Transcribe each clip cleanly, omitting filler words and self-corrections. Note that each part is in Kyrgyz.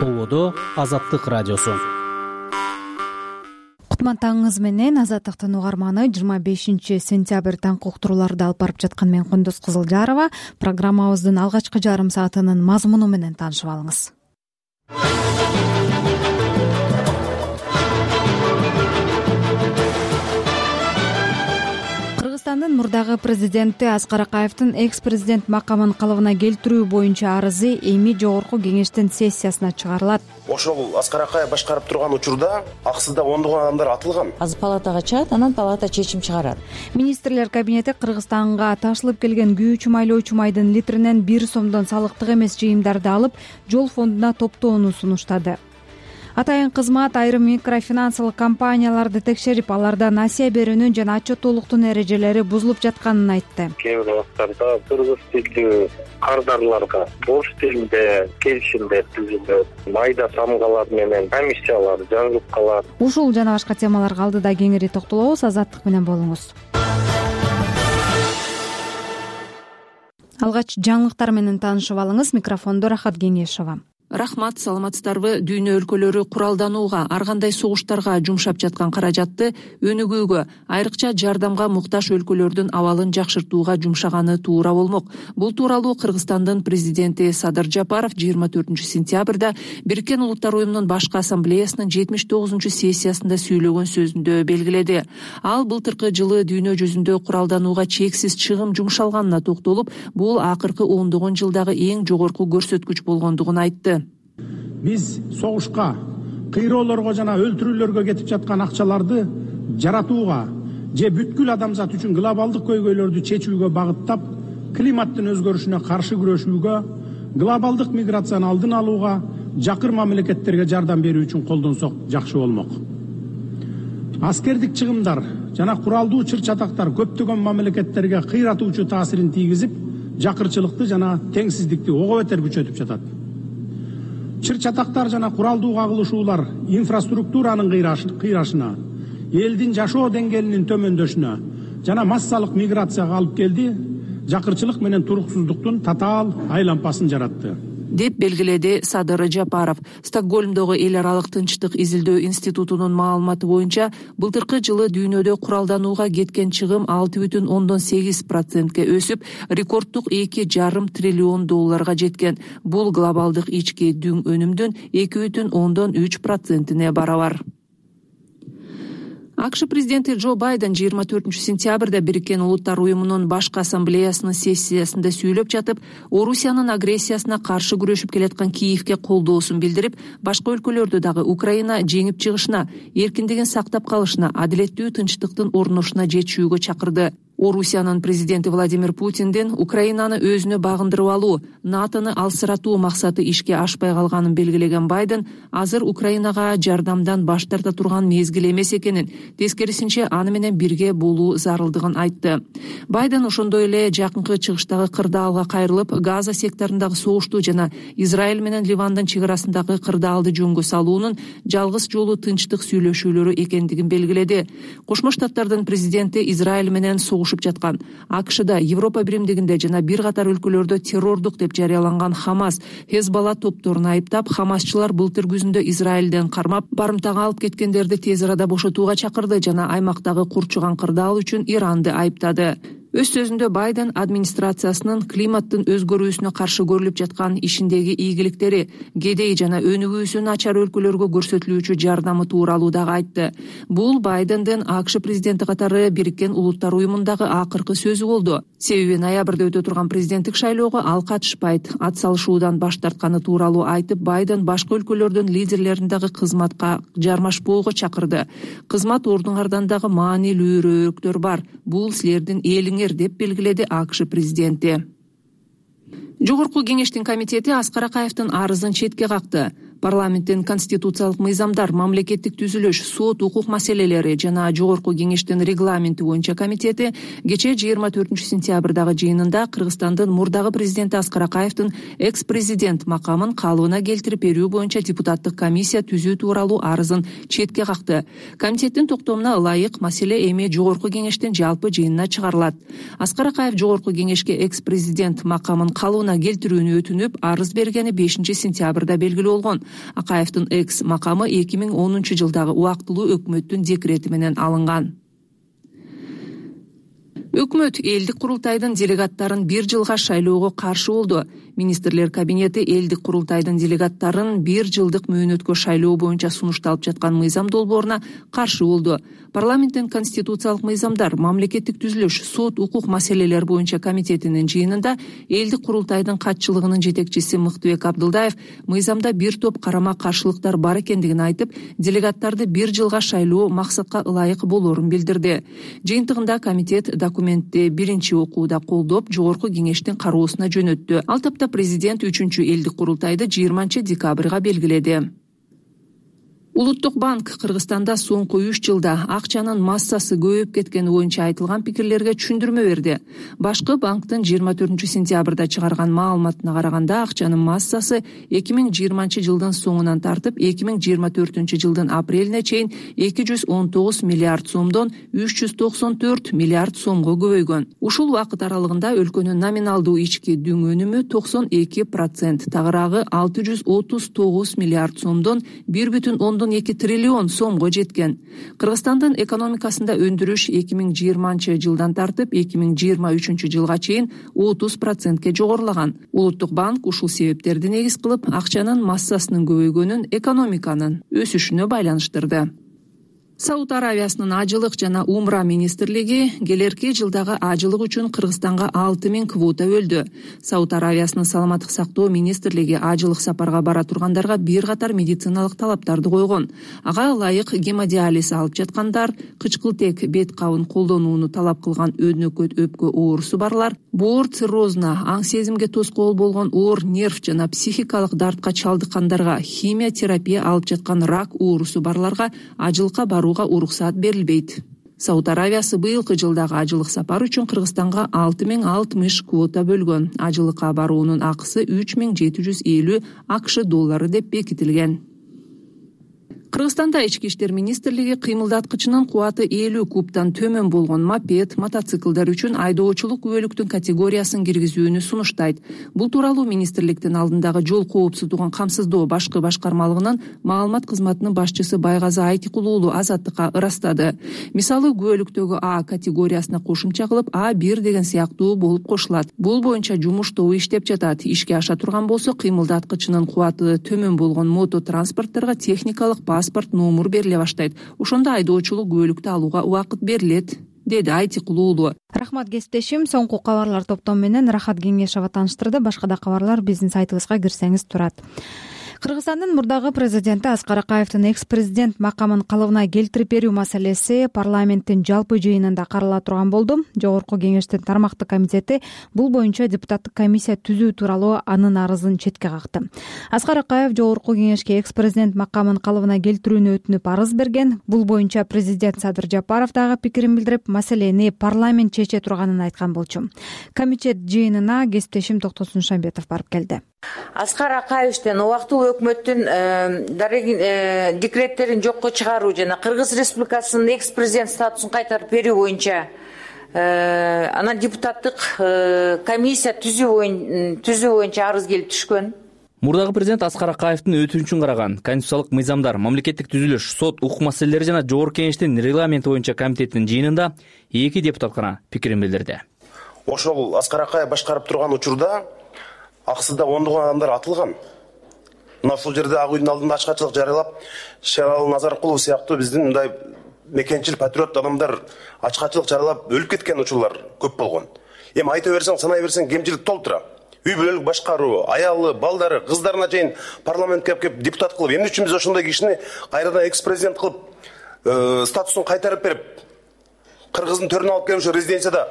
Ободо Азаттык радиосу. Кутман таңыңыз менен. Азаттыктын угарманы 25 сентябрь таңкы уктурууларды алып барып жаткан мен Кундуз Кызылжарова. Программабыздын алгачкы жарым саатынын мазмуну менен таанышып алыңыз. Кыргызстандын мурдагы президенти Аскар Акаевдин экс-президент макамын калыбына келтирүү боюнча арызы эми жогорку кеңештин сессиясына чыгарылат. Ошол Аскар Акаев башкарып турган учурда аксызда ондогон адамдар атылган. Азыр палатага чыгат, анан палата чечим чыгарат. Министрлер кабинети Кыргызстанга ташылып келген күйүүчү майлоочу майдын литринен 1 сомдон салыктык эмес жыйымдарды алып, жол фондуна топтоону сунуштады. Атайын кызмат айрым микрофинансылык компанияларды текшерип, аларда насыя берүүнүн жана отчеттуулуктун эрежелери бузулуп жатканын айтты. Кээ бир убакыттарда кыргыз тилдүү кардарларга орус тилинде келишимдер түзүлөт, майда самгалар менен комиссиялар жазылып калат. Ушул жана башка темаларга алдыда кеңири токтолобуз. Азаттык менен болуңуз. Алгач жаңылыктар менен таанышып алыңыз. Микрофондо Рахат Кеңешова. Рахмат, саламатсыздарбы? Дүйнө өлкөлөрү куралданууга, ар кандай согуштарга жумшап жаткан каражатты өнүгүүгө, айрыкча жардамга муктаж өлкөлөрдүн абалын жакшыртууга жумшаганы туура болмок. Бул тууралуу Кыргызстандын президенти Садыр Жапаров 24 сентябрда Бириккен Улуттар уюмунун башкы ассамблеясынын 79-сессиясында сүйлөгөн сөзүндө белгиледи. Ал былтыркы жылы дүйнө жүзүндө куралданууга чексиз чыгым жумшалганына токтолуп, бул акыркы ондогон жылдагы эң жогорку көрсөткүч болгондугун айтты. Биз согушка, кыйроолорго жана өлтүрүүлөргө кетип жаткан акчаларды жаратууга же бүткүл адамзат үчүн глобалдык көйгөйлөрдү чечүүгө багыттап, климаттын өзгөрүшүнө каршы күрөшүүгө, глобалдык миграцияны алдын алууга, жакыр мамлекеттерге жардам берүү үчүн колдонсок жакшы болмок. Аскердик чыгымдар жана куралдуу чыр-чатактар көптөгөн мамлекеттерге кыйратуучу таасирин тийгизип, жакырчылыкты жана теңсиздикти ого бетер күчөтүп жатат. Чыр-чатактар жана куралдуу кагылышуулар инфраструктуранын кыйрашына, элдин жашоо деңгээлинин төмөндөшүнө жана массалык миграцияга алып келди, жакырчылык менен туруксуздуктун татаал айлампасын жаратты, деп белгиледи Садыр Жапаров. Стокгольмдогу эл аралык тынчтык изилдөө институтунун маалыматы боюнча, былтыркы жылы дүйнөдө куралданууга кеткен чыгым 6,8%ке өсүп, рекорддук $2,5 триллион жеткен. Бул глобалдык ички дүң өнүмдүн 2,3%-не барабар. АКШ президенти Джо Байден 24 сентябрда Бириккен Улуттар уюмунун башкы ассамблеясынын сессиясында сүйлөп жатып, Орусиянын агрессиясына каршы күрөшүп келаткан Киевке колдоосун билдирип, башка өлкөлөрдү дагы Украина жеңип чыгышына, эркиндигин сактап калышына, адилеттүү тынчтыктын орношуна жетишүүгө чакырды. Орусиянын президенти Владимир Путиндин Украинаны өзүнө багындырып алуу, НАТОну алсыратуу максаты ишке ашпай калганын белгилеген Байден, азыр Украинага жардамдан баш тарта турган мезгил эмес экенин, тескерисинче аны менен бирге болуу зарылдыгын айтты. Байден ошондой эле жакынкы чыгыштагы кырдаалга кайрылып, Газа секторундагы согушту жана Израиль менен Ливандын чек арасындагы кырдаалды жөнгө салуунун жалгыз жолу тынчтык сүйлөшүүлөрү экендигин белгиледи. Кошмо Штаттардын президенти Израиль менен согушуп жаткан АКШда, Европа биримдигинде жана бир катар өлкөлөрдө террордук деп жарыяланган Хамас, Хезбалла топторун айыптап, хамасчылар былтыр күзүндө Израилден кармап, барымтага алып кеткендерди тез арада бошотууга чакырды жана аймактагы курчуган кырдаал үчүн Иранды айыптады. Өз сөзүндө Байден администрациясынын климаттын өзгөрүүсүнө каршы көрүлүп жаткан ишиндеги ийгиликтери, кедей жана өнүгүүсү начар өлкөлөргө көрсөтүлүүчү жардамы тууралуу дагы айтты. Бул Байдендин АКШ президенти катары Бириккен Улуттар уюмундагы акыркы сөзү болду. Себеби ноябрда өтө турган президенттик шайлоого ал катышпайт. Ат салышуудан баш тартканы тууралуу айтып, Байден башка өлкөлөрдүн лидерлерин дагы кызматка жармашпоого чакырды. Кызмат ордуңардан дагы маанилүүрөөктөр бар. Бул силердин элиңер, деп белгиледи АКШ президенти. Жогорку кеңештин комитети Аскар Акаевдин арызын четке какты. Парламенттин конституциялык мыйзамдар, мамлекеттик түзүлүш, сот, укук маселелери жана жогорку кеңештин регламенти боюнча комитети кечээ 24 сентябрдагы жыйынында Кыргызстандын мурдагы президенти Аскар Акаевдин экс-президент макамын калыбына келтирип берүү боюнча депутаттык комиссия түзүү тууралуу арызын четке какты. Комитеттин токтомуна ылайык маселе эми жогорку кеңештин жалпы жыйынына чыгарылат. Аскар Акаев жогорку кеңешке экс-президент макамын калыбына келтирүүнү өтүнүп, арыз бергени 5 сентябрда белгилүү болгон. Акаевдин экс макамы 2010 жылдагы убактылуу өкмөттүн декрети менен алынган. Өкмөт элдик курултайдын делегаттарын 1 жылга шайлоого каршы болду. Министрлер кабинети элдик курултайдын делегаттарын 1 жылдык мөөнөткө шайлоо боюнча сунушталып жаткан мыйзам долбооруна каршы болду. Парламенттин конституциялык мыйзамдар, мамлекеттик түзүлүш, сот, укук маселелер боюнча комитетинин жыйынында элдик курултайдын катчылыгынын жетекчиси Мыктыбек Абдылдаев мыйзамда бир топ карама каршылыктар бар экендигин айтып, делегаттарды 1 жылга шайлоо максатка ылайык болорун билдирди. Жыйынтыгында комитет документти биринчи окууда колдоп, жогорку кеңештин кароосуна жөнөттү. Ал тапта президент 3-чү элдик курултайды 20 декабрга белгиледи. Улуттук банк Кыргызстанда соңку 3 жылда акчанын массасы көбөйүп кеткени боюнча айтылган пикирлерге түшүндүрмө берди. Башкы банктын 24 сентябрда чыгарган маалыматына караганда акчанын массасы 2020 жылдын соңунан тартып 2024 жылдын апрелине чейин 219 миллиард сомдон 394 миллиард сомго көбөйгөн. Ушул убакыт аралыгында өлкөнүн номиналдуу ички дүң өнүмү 92%, тагыраагы 639 миллиард сомдон 1,2 триллион сомго жеткен. Кыргызстандын экономикасында өндүрүш 2020 жылдан тартып 2023 жылга чейин 30%ке жогорулаган. Улуттук банк ушул себептерди негиз кылып, акчанын массасынын көбөйгөнүн экономиканын өсүшүнө байланыштырды. Сауд Аравиясынын ажылык жана умра министрлиги келерки жылдагы ажылык үчүн Кыргызстанга 6000 квота бөлдү. Сауд Аравиясынын саламаттык сактоо министрлиги ажылык сапарга бара тургандарга бир катар медициналык талаптарды койгон. Ага ылайык гемодиализ алып жаткандар, кычкылтек бет кабын колдонууну талап кылган өнөкөт өпкө оорусу барлар, боор циррозуна, аң сезимге тоскоол болгон оор нерв жана психикалык дартка чалдыккандарга, химия терапия алып жаткан рак оорусу барларга ажылыкка барууга уруксат берилбейт. Сауд Аравиясы быйылкы жылдагы ажылык сапар үчүн Кыргызстанга 6060 квота бөлгөн. Ажылыкка баруунун акысы 3750 АКШ доллары деп бекитилген. Кыргызстанда ички иштер министрлиги кыймылдаткычынын кубаты 50 кубтан төмөн болгон мопед, мотоциклдар үчүн айдоочулук күбөлүктүн категориясын киргизүүнү сунуштайт. Бул тууралуу министрликтин алдындагы жол коопсуздугун камсыздоо башкы башкармалыгынын маалымат кызматынын башчысы Байгазы Айтикул уулу Азаттыкка ырастады. Мисалы, күбөлүктөгү А категориясына кошумча кылып А1 деген сыяктуу болуп кошулат. Бул боюнча жумуш тобу иштеп жатат. Ишке аша турган болсо, кыймылдаткычынын кубаты төмөн болгон мототранспортторго техникалык паспорт номер бериле баштайт. Ошондо айдоочулук күбөлүктү алууга убакыт берилет, деди Айтикул уулу. Рахмат кесиптешим. Соңку кабарлар топтому менен Рахат Кеңешова тааныштырды. Башка да кабарлар биздин сайтыбызга кирсеңиз турат. Кыргызстандын мурдагы президенти Аскар Акаевдин экс-президент макамын калыбына келтирип берүү маселеси парламенттин жалпы жыйынында карала турган болду. Жогорку кеңештин тармактык комитети бул боюнча депутаттык комиссия түзүү тууралуу анын арызын четке какты. Аскар Акаев жогорку кеңешке экс-президент макамын калыбына келтирүүнү өтүнүп арыз берген. Бул боюнча президент Садыр Жапаров дагы пикирин билдирип, маселени парламент чече турганын айткан болчу. Комитет жыйынына кесиптешим Токтосун Шамбетов барып келди. Аскар Акаевдин убактылуу өкмөттүн декреттерин жокко чыгаруу жана Кыргыз Республикасынын экс-президент статусун кайтарып берүү боюнча анан депутаттык комиссия түзүү боюнча арыз келип түшкөн. Мурдагы президент Аскар Акаевдин өтүнүчүн караган конституциялык мыйзамдар, мамлекеттик түзүлүш, сот, укук маселелери жана жогорку кеңештин регламенти боюнча комитетинин жыйынында 2 депутат гана пикирин билдирди. Ошол Аскар Акаев башкарып турган учурда аксыда ондогон адамдар атылган. Мына ушул жерде Ак үйдүн алдында ачкачылык жарыялап, Шералы Назаркулов сыяктуу биздин мындай мекенчил патриот адамдар ачкачылык жарыялап өлүп кеткен учурлар көп болгон. Эми айта берсең, санай берсең, кемчилик толтура. Үй бүлөлүк башкаруу, аялы, балдары, кыздарына чейин парламентке кеп депутат кылып, эмне үчүн биз ошондой кишини кайрадан экс-президент кылып, статусун кайтарып берип, Кыргыздын төрүнө алып келип, ошо резиденцияда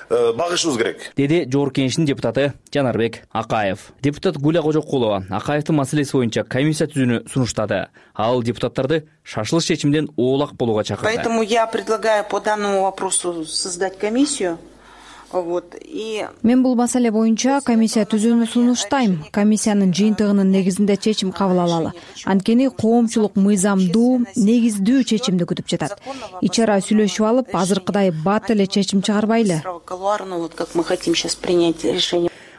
багышыбыз керек, деди жогорку кеңештин депутаты Жанарбек Акаев. Депутат Гуля Кожокулова Акаевдин маселеси боюнча комиссия түзүүнү сунуштады. Ал депутаттарды шашылыш чечимден оолак болууга чакырды. Поэтому я предлагаю по данному вопросу создать комиссию. Мен бул маселе боюнча комиссия түзүүнү сунуштайм. Комиссиянын жыйынтыгынын негизинде чечим кабыл алалы. Анткени коомчулук мыйзамдуу, негиздүү чечимди күтүп жатат. Ич ара сүйлөшүп алып, азыркыдай бат эле чечим чыгарбайлы.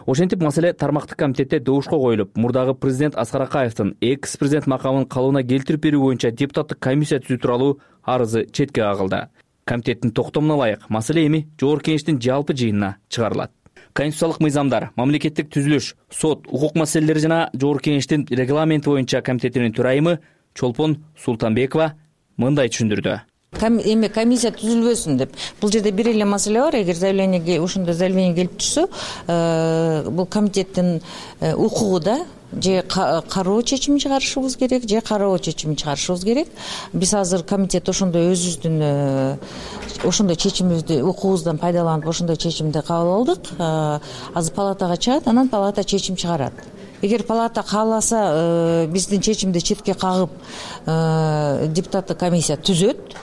Ошентип маселе тармактык комитетте добушка коюлуп, мурдагы президент Аскар Акаевдин экс президент макамын калыбына келтирип берүү боюнча депутаттык комиссия түзүү тууралуу арызы четке кагылды. Комитеттин токтомуна ылайык маселе эми Жогорку Кеңештин жалпы жыйынына чыгарылат. Конституциялык мыйзамдар, мамлекеттик түзүлүш, сот, укук маселелери жана Жогорку Кеңештин регламенти боюнча комитетинин төрайымы Чолпон Султанбекова мындай түшүндүрдү. Эми комиссия түзүлбөсүн деп. Бул жерде бир эле маселе бар. Эгер ошондой заявление келип турса, бул комитеттин укугу да же кароо чечими чыгарышыбыз керек, же кароо чечими чыгарышыбыз керек. Биз азыр комитет ошондой өзүбүздүн ошондой чечимибизди укугубуздан пайдаланып ошондой чечимди кабыл алдык. Азыр палатага чыгат, анан палата чечим чыгарат. Эгер палата кааласа, биздин чечимди четке кагып, депутаттык комиссия түзөт.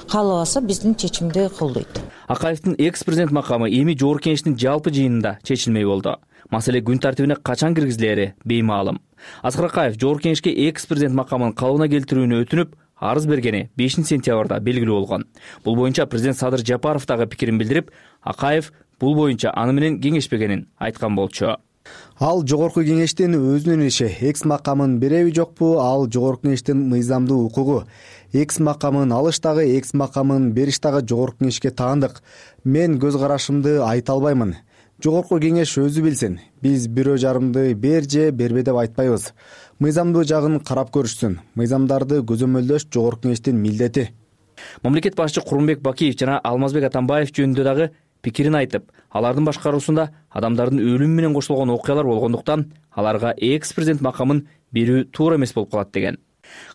Каалабаса биздин чечимди колдойт. Акаевдин экс-президент макамы эми Жогорку Кеңештин жалпы жыйынында чечилмей болду. Маселе күн тартибине качан киргизилери беймаалым. Аскар Акаев Жогорку Кеңешке экс-президент макамын калыбына келтирүүнү өтүнүп, арыз бергени 5-сентябрда белгилүү болгон. Бул боюнча президент Садыр Жапаров дагы пикирин билдирип, Акаев бул боюнча аны менен кеңешпегенин айткан болчу. Ал Жогорку Кеңештин өзүнүн иши, экс макамын береби жокпу, ал Жогорку Кеңештин мыйзамдуу укугу. Экс макамын алыш дагы, экс макамын бериш дагы Жогорку Кеңешке таандык. Мен көз карашымды айта албаймын. Жогорку Кеңеш өзү билсин. Биз бирөө жарымды бер же бербе деп айтпайбыз. Мыйзамдуу жагын карап көрүшсүн. Мыйзамдарды көзөмөлдөш Жогорку Кеңештин милдети. Мамлекет башчы Курманбек Бакиев жана Алмазбек Атамбаев жөнүндө дагы пикирин айтып, алардын башкаруусунда адамдардын өлүмү менен кошулгон окуялар болгондуктан аларга экс-президент макамын берүү туура эмес болуп калат деген.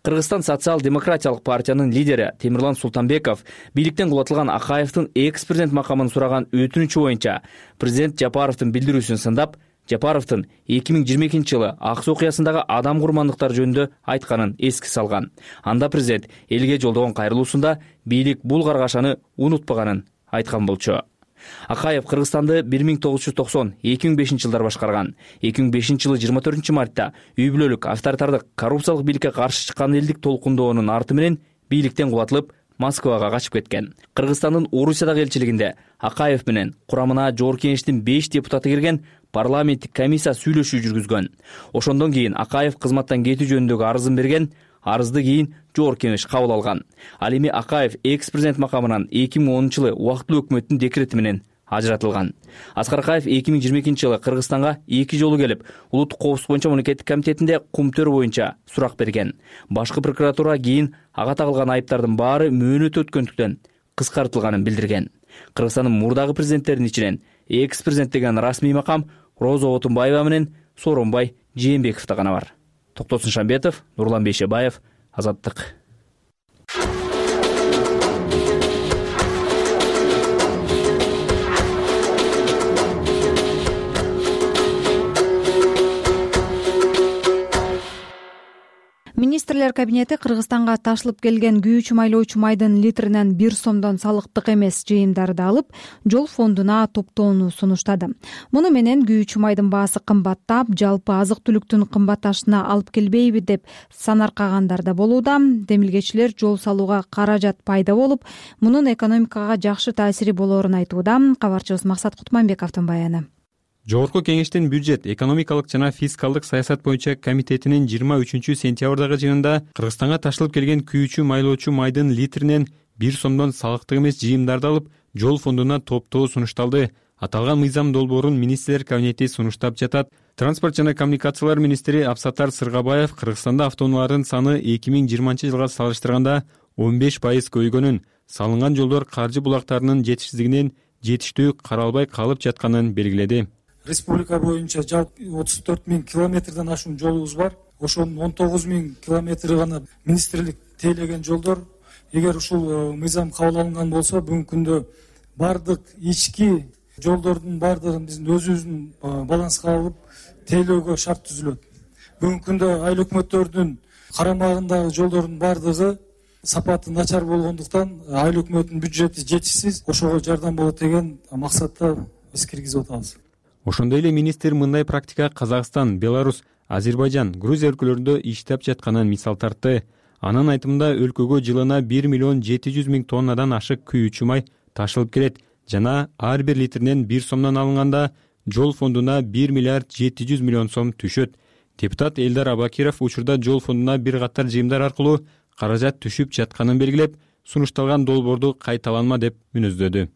Кыргызстан социал-демократиялык партиянын лидери Темирлан Султанбеков бийликтен кулатылган Акаевдин экс-президент макамын сураган өтүнүчү боюнча президент Жапаровдун билдирүүсүн сындап, Жапаровдун 2022-жылы ак суу окуясындагы адам курмандыктары жөнүндө айтканын эске салган. Анда президент элге жолдогон кайрылуусунда бийлик бул каргашаны унутпаганын айткан болчу. Акаев Кыргызстанды 1990-2005 жылдар башкарган. 2005-жылы 24 мартта үй бүлөлүк авторитардык коррупциялык бийликке каршы чыккан элдик толкундоонун арты менен бийликтен кулатылып, Москвага качып кеткен. Кыргызстандын Орусиядагы элчилигинде Акаев менен курамына Жогорку Кеңештин 5 депутаты кирген парламенттик комиссия сүйлөшүү жүргүзгөн. Ошондон кийин Акаев кызматтан кетүү жөнүндөгү арызын берген. Арызды кийин Жогорку Кеңеш кабыл алган. Ал эми Акаев экс-президент макамынан 2010-жылы убактылуу өкмөттүн декрети менен ажыратылган. Аскар Акаев 2022-жылы Кыргызстанга 2 жолу келип, улуттук коопсуздук боюнча мамлекеттик комитетинде кумтөр боюнча сурак берген. Башкы прокуратура кийин ага тагылган айыптардын баары мөөнөт өткөндүктөн кыскартылганын билдирген. Кыргызстандын мурдагы президенттеринин ичинен экс-президент деген расмий макам Роза Отунбаева менен Сооронбай Жээнбековдо гана бар. Токтосун Шамбетов, Нурлан Бейшебаев, Азаттык. Министрлер кабинети Кыргызстанга ташылып келген күйүүчү майлоочу майдын литринен 1 сомдон салыктык эмес жыйымдарды алып, жол фондуна топтоону сунуштады. Муну менен күйүүчү майдын баасы кымбаттап, жалпы азык-түлүктүн кымбатташына алып келбейби деп санаркагандар да болууда. Демилгечилер жол салууга каражат пайда болуп, мунун экономикага жакшы таасири болоорун айтууда. Кабарчыбыз Максат Кутманбековдун баяны. Жогорку Кеңештин бюджет, экономикалык жана фискалдык саясат боюнча комитетинин 23-сентябрдагы жыйынында Кыргызстанга ташылып келген күйүүчү майлоочу майдын литринен 1 сомдон салыктык эмес жыйымдарды алып, жол фондуна топтоо сунушталды. Аталган мыйзам долбоорун министрлер кабинети сунуштап жатат. Транспорт жана коммуникациялар министри Абсаттар Сыргабаев Кыргызстанда автоунаалардын саны 2020-жылга салыштырганда 15% көйгөнүн, салынган жолдор каржы булактарынын жетишсиздигинен жетиштүү каралбай калып жатканын белгиледи. Республика боюнча жалпы 34 000 километрден ашуун жолубуз бар. Ошонун 19 000 километри гана министрлик тейлеген жолдор. Эгер ушул мыйзам кабыл алынган болсо, бүгүнкү күндө бардык ички жолдордун бардыгын биздин өзүбүздүн баланска алып тейлөөгө шарт түзүлөт. Бүгүнкү күндө айыл өкмөттөрдүн карамагындагы жолдордун бардыгы сапаты начар болгондуктан айыл өкмөтүнүн бюджети жетишсиз, ошого жардам болот деген максатта биз киргизип атабыз. Ошондой эле министр мындай практика Казакстан, Беларусь, Азербайжан, Грузия өлкөлөрүндө иштеп жатканын мисал тартты. Анын айтымында өлкөгө жылына 1 700 000 тоннадан ашык күйүүчү май ташылып келет жана ар бир литринен 1 сомдон алынганда жол фондуна 1 миллиард 700 миллион сом түшөт. Депутат Элдар Абакиров учурда жол фондуна бир катар жыйымдар аркылуу каражат түшүп жатканын белгилеп, сунушталган долбоорду кайталанма деп мүнөздөдү.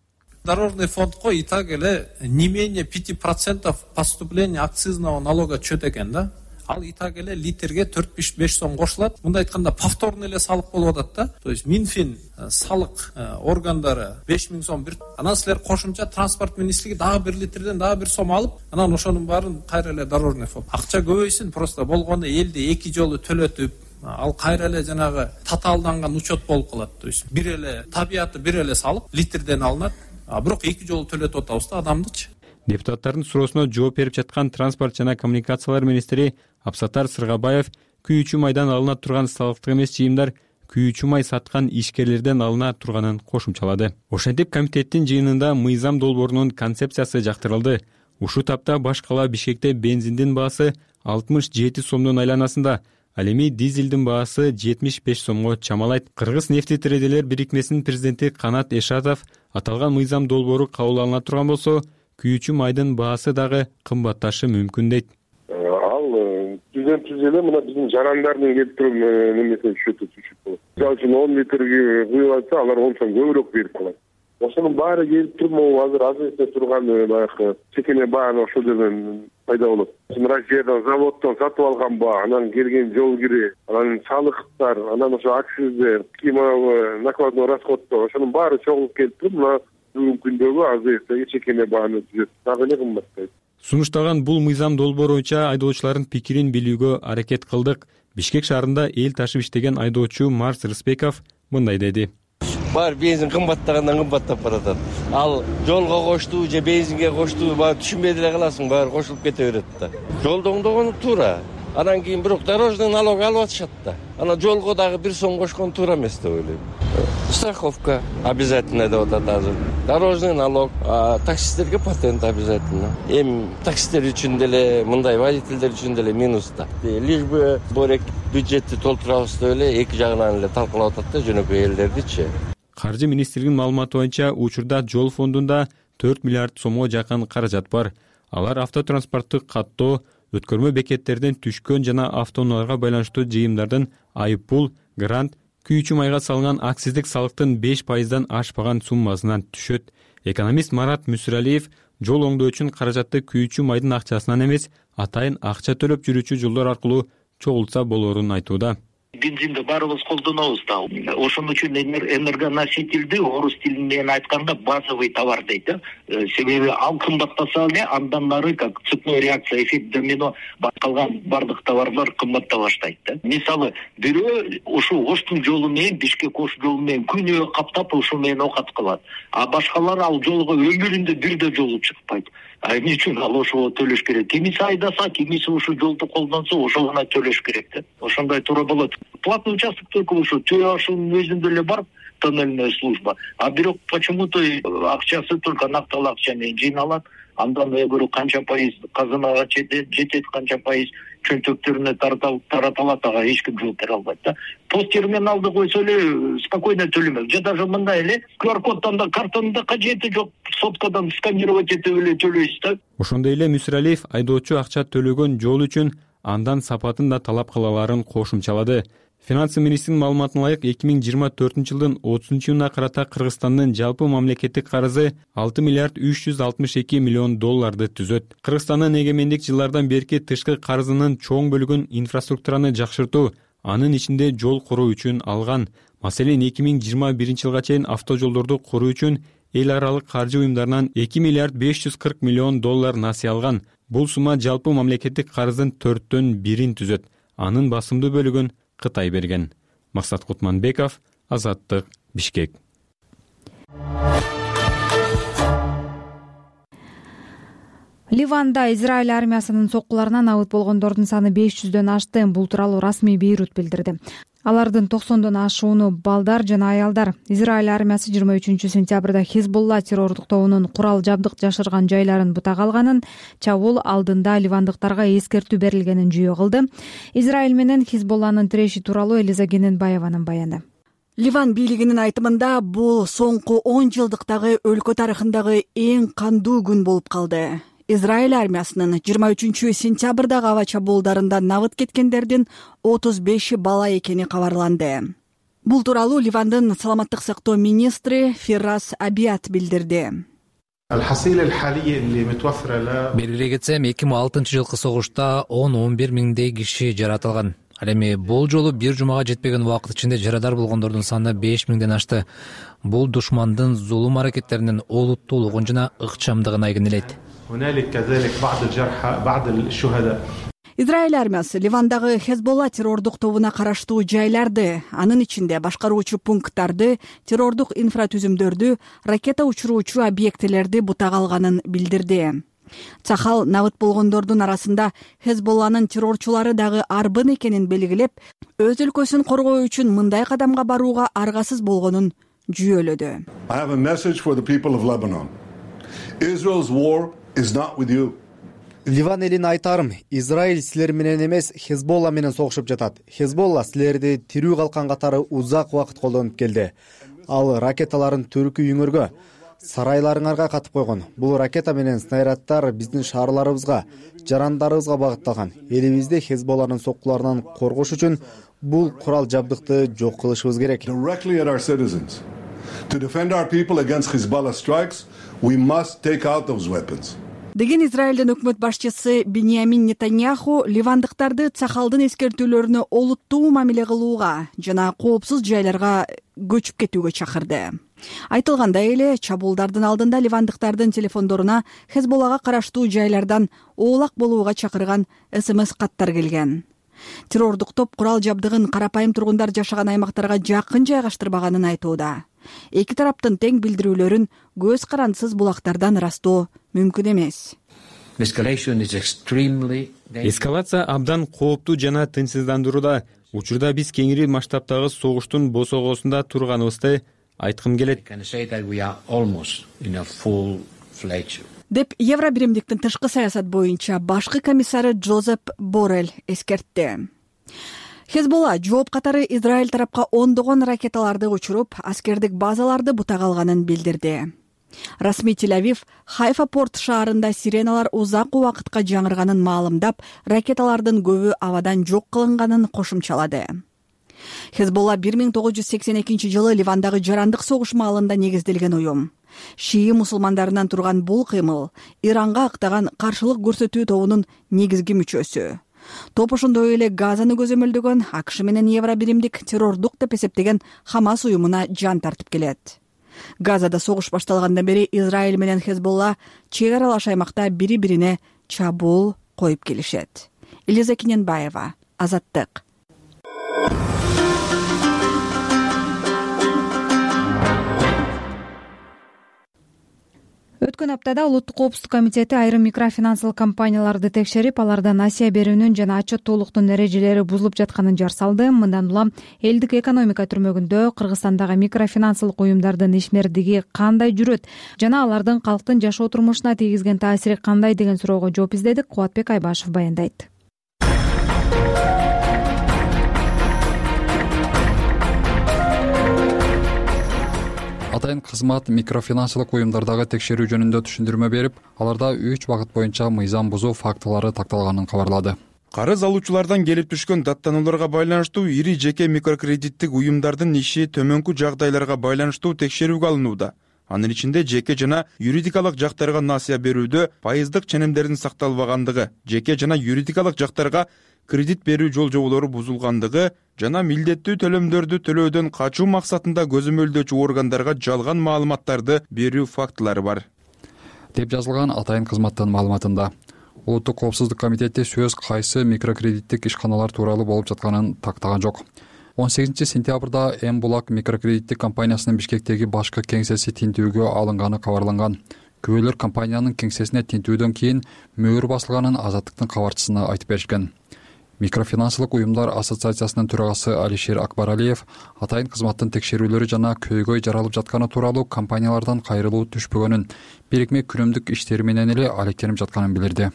Дорожный фондко и так эле не менее 5% поступления акцизного налога чөт экен да. Ал и так эле литрге 4-5 сом кошулат. Мындай айтканда повторный эле салык болуп атат да. То есть Минфин салык органдары 5000 сом бир. Анан силер кошумча транспорт министрлиги дагы 1 литрден дагы 1 сом алып, анан ошонун баарын кайра эле дорожный фонд. Акча көбөйсүн, просто болгону элди 2 жолу төлөтүп, ал кайра эле жанагы татаалданган учет болуп калат. То есть бир эле табияты бир эле салык литрден алынат, бирок 2 жолу төлөтүп атабыз да адамдычы. Депутаттардын суроосуна жооп берип жаткан транспорт жана коммуникациялар министри Абсатар Сыргабаев күйүүчү майдан алына турган салыктык эмес жыйымдар күйүүчү май саткан ишкерлерден алына турганын кошумчалады. Ошентип комитеттин жыйынында мыйзам долбоорунун концепциясы жактырылды. Ушул тапта баш кала Бишкекте бензиндин баасы 67 сомдун айланасында, ал эми дизелдин баасы 75 сомго чамалайт. Кыргыз нефтитрейдерлер бирикмесинин президенти Канат Эшатов аталган мыйзам долбоору кабыл алына турган болсо, күйүүчү майдын баасы дагы кымбатташы мүмкүн дейт. Ал түзөн эле мына биздин жарандардын келтирим немесине түшөт болот. Мисалы үчүн 10 литрге куюп атса, алар 10 сом көбүрөөк берип калат. Ошонун баары келип туруп, могу азыр азыркы турган баягы чекене бааны ошол жерден пайда болот. Россиядан заводдон сатып алган баа, анан келген жол кири, анан салыктар, анан ошо акциздер, кийинки накладной расходдор, ошонун баары чогулуп келип туруп, мына бүгүнкү күндөгү азыркы чекене бааны түзөт. Дагы эле кымбаттайт. Сунушталган бул мыйзам долбоору боюнча айдоочулардын пикирин билүүгө аракет кылдык. Бишкек шаарында эл ташып иштеген айдоочу Марс Рыспеков мындай деди. Бар бензин кымбаттагандан кымбаттап баратат. Ал жолго кошту же бензинге кошту, баары түшүнбөй деле каласың, баары кошулуп кете берет да. Жолду оңдогону туура. Анан кийин бирок дорожный налог алып атышат да. Анан жолго дагы 1 сом кошкон туура эмес деп ойлойм. Страховка обязательно деп атат азыр. Дорожный налог, таксисттерге патент обязательно. Эми таксисттер үчүн деле, мындай водительдер үчүн деле минус да. Лишь бы борек бюджетти толтурабыз деп эле эки жагынан эле талкалап атат да жөнөкөй элдердичи. Каржы министрлигинин маалыматы боюнча учурда жол фондунда 4 миллиард сомго жакын каражат бар. Алар автотранспортту каттоо, өткөрмө бекеттерден түшкөн жана автоунааларга байланыштуу жыйымдардын айыппул, грант, күйүүчү майга салынган акциздик салыктын 5%дан ашпаган суммасынан түшөт. Экономист Марат Мүсүралиев жол оңдоо үчүн каражатты күйүүчү майдын акчасынан эмес, атайын акча төлөп жүрүүчү жолдор аркылуу чогултса болоорун айтууда. Бензинди баарыбыз колдонобуз да. Ошон үчүн энергоносительди орус тили менен айтканда базовый товар дейт. Себеби ал кымбаттаса эле андан ары как цепной реакция, эффект домино калган бардык товарлар кымбатта баштайт да. Мисалы, бирөө ушул Оштун жолу менен Бишкек Ош жолу менен күнөө каптап ушул менен окат кылат. А башкалар ал жолго өмүрүндө бирде жолу чыкпайт. Эмне үчүн ал ошого төлөш керек? Кимиси айдаса, кимиси ушул жолду колдонсо, ошого гана төлөш керек да. Ошондой туура болот. Платный участок только ушу Түй Ашынын өзүндө эле бар тоннельная служба. А бирок почему-то акчасы только нактал акча менен жыйналат. Андан эгер канча пайыз казынага жетет, канча пайыз чөнтөктөрүнө таратылат, ага эч ким жооп бере албайт да. Пост терминалды койсо эле спокойно төлөмөк. Же даже мындай эле QR-коддон да картонун кажети жок, соткадан сканировать этип эле төлөйсүз да. Ошондой эле Мүсүралиев айдоочу акча төлөгөн жол үчүн андан сапатын да талап кылаларын кошумчалады. Финансы министринин маалыматына ылайык 2024 жылдын 30-июнуна карата Кыргызстандын жалпы мамлекеттик карызы 6 миллиард 362 миллион долларды түзөт. Кыргызстандын эгемендик жылдардан берки тышкы карызынын чоң бөлүгүн инфраструктураны жакшыртуу, анын ичинде жол куруу үчүн алган. Маселен, 2021 жылга чейин автожолдорду куруу үчүн эл аралык каржы уюмдарынан 2 миллиард 540 миллион доллар насыя алган. Бул сумма жалпы мамлекеттик карыздын 4/1 түзөт. Анын басымдуу бөлүгүн Кытай берген. Максат Кутманбеков, Азаттык, Бишкек. Ливанда Израиль армиясынын соккуларынан абыт болгондордун саны 500дөн ашты. Бул тууралуу расмий Бейрут билдирди. Алардын 90дон ашууну балдар жана аялдар. Израиль армиясы 23 сентябрда Хизбулла террордук тобунун курал жабдык жашырган жайларын бутага алганын, чабуул алдында ливандыктарга эскертүү берилгенин жүйө кылды. Израиль менен Хизбулланын тиреши тууралуу Элиза Кененбаеванын баяны. Ливан бийлигинин айтымында бул соңку 10 жылдыктагы өлкө тарыхындагы эң кандуу күн болуп калды. Израиль армиясынын 23-сентябрдагы аба чабуулдарында набыт кеткендердин 35 бала экени кабарланды. Бул тууралуу Ливандын саламаттык сактоо министри Фиррас Абиат билдирди. Белгилей кетсем, 2006-жылкы согушта 10-11 миңдей киши жаратылган. Ал эми бул жолу бир жумага жетпеген убакыт ичинде жарадар болгондордун саны 5 миңден ашты. Бул душмандын зулум аракеттеринин олуттуулугун жана ыкчамдыгын айгинелейт. Израиль армиясы Ливандагы Хезболла террордук тобуна караштуу жайларды, анын ичинде башкаруучу пункттарды, террордук инфратүзүмдөрдү, ракета учуруучу объектилерди бутага алганын билдирди. Цахал набыт болгондордун арасында Хезболланын террорчулары дагы арбын экенин белгилеп, өз өлкөсүн коргоо үчүн мындай кадамга барууга аргасыз болгонун жүйөлөдү. Ливан элине айтарым, Израиль силер менен эмес, Хезболла менен согушуп жатат. Хезболла силерди тирүү калкан катары узак убакыт колдонуп келди. Ал ракеталарын түркү үйүңөргө, сарайларыңарга катып койгон. Бул ракета менен снаряддар биздин шаарларыбызга, жарандарыбызга багытталган. Элибизди Хезболланын соккуларынан коргош үчүн бул курал жабдыкты жок кылышыбыз керек. Деген Израилдин өкмөт башчысы Биньямин Нетаньяху ливандыктарды Цахалдын эскертүүлөрүнө олуттуу мамиле кылууга жана коопсуз жайларга көчүп кетүүгө чакырды. Айтылгандай эле, чабуулдардын алдында ливандыктардын телефондоруна Хезболлага караштуу жайлардан оолак болууга чакырган СМС каттар келген. Террордук топ курал жабдыгын карапайым тургундар жашаган аймактарга жакын жайгаштырбаганын айтууда. Эки тараптын тең билдирүүлөрүн көз карандысыз булактардан ырастоо мүмкүн эмес. Эскалация абдан кооптуу жана тынчсыздандырууда. Учурда биз кеңири масштабтагы согуштун босогосунда турганыбызды айткым келет. Деп Евробиримдиктин тышкы саясат боюнча башкы комиссары Джозеп Боррелл эскертти. Хезболла жооп катары Израиль тарапка ондогон ракеталарды учуруп, аскердик базаларды бутага алганын билдирди. Расмий Тель-Авив Хайфа порт шаарында сиреналар узак убакытка жаңырганын маалымдап, ракеталардын көбү абадан жок кылынганын кошумчалады. Хезболла 1982-жылы Ливандагы жарандык согуш маалында негизделген уюм. Шии мусулмандарынан турган бул кыймыл Иранга актаган каршылык көрсөтүү тобунун негизги мүчөсү. Топ ошондой эле Газаны көзөмөлдөгөн АКШ менен Евробиримдик террордук деп эсептеген Хамас уюмуна жан тартып келет. Газада согуш башталгандан бери Израиль менен Хезболла чек аралаш аймакта бири-бирине чабуул коюп келишет. Элиза Киненбаева, Азаттык. Өткөн аптада Улуттук коопсуздук комитети айрым микрофинансылык компанияларды текшерип, алардан насыя берүүнүн жана отчеттуулуктун эрежелери бузулуп жатканын жар салды. Мындан улам элдик экономика түрмөгүндө Кыргызстандагы микрофинансылык уюмдардын ишмердиги кандай жүрөт жана алардын калктын жашоо турмушуна тийгизген таасири кандай деген суроого жооп издедик. Кубатбек Айбашев баяндайт. Атайын кызмат микрофинансылык уюмдардагы текшерүү жөнүндө түшүндүрмө берип, аларда 3 багыт боюнча мыйзам бузуу фактылары такталганын кабарлады. Карыз алуучулардан келип түшкөн даттанууларга байланыштуу ири жеке микрокредиттик уюмдардын иши төмөнкү жагдайларга байланыштуу текшерүүгө алынууда. Анын ичинде жеке жана юридикалык жактарга насыя берүүдө пайыздык ченемдердин сакталбагандыгы, жеке жана юридикалык жактарга кредит берүү жол-жоболору бузулгандыгы жана милдеттүү төлөмдөрдү төлөөдөн качуу максатында көзөмөлдөөчү органдарга жалган маалыматтарды берүү фактылары бар, деп жазылган Атайын кызматтын маалыматында. Улуттук коопсуздук комитети сөз кайсы микрокредиттик ишканалар тууралуу болуп жатканын тактаган жок. 18-сентябрда М-Булак микрокредиттик компаниясынын Бишкектеги башкы кеңсеси тинтүүгө алынганы кабарланган. Күбөлөр компаниянын кеңсесине тинтүүдөн кийин мөөр басылганын Азаттыктын кабарчысына айтып беришкен. Микрофинансылык уюмдар ассоциациясынын төрагасы Алишер Акбаралиев атайын кызматтын текшерүүлөрү жана көйгөй жаралып жатканы тууралуу компаниялардан кайрылуу түшпөгөнүн, бирикме күнүмдүк иштери менен эле алектенип жатканын билдирди.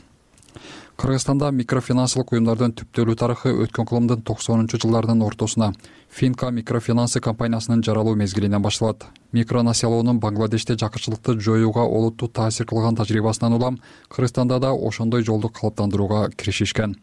Кыргызстанда микрофинансылык уюмдардын түптөлүү тарыхы өткөн кылымдын 90-жылдардын ортосуна Finca микрофинансы компаниясынын жаралуу мезгилинен башталат. Микронасиялоонун Бангладеште жакырчылыкты жоюуга олуттуу таасир кылган тажрыйбасынан улам Кыргызстанда да ошондой жолду калыптандырууга киришишкен.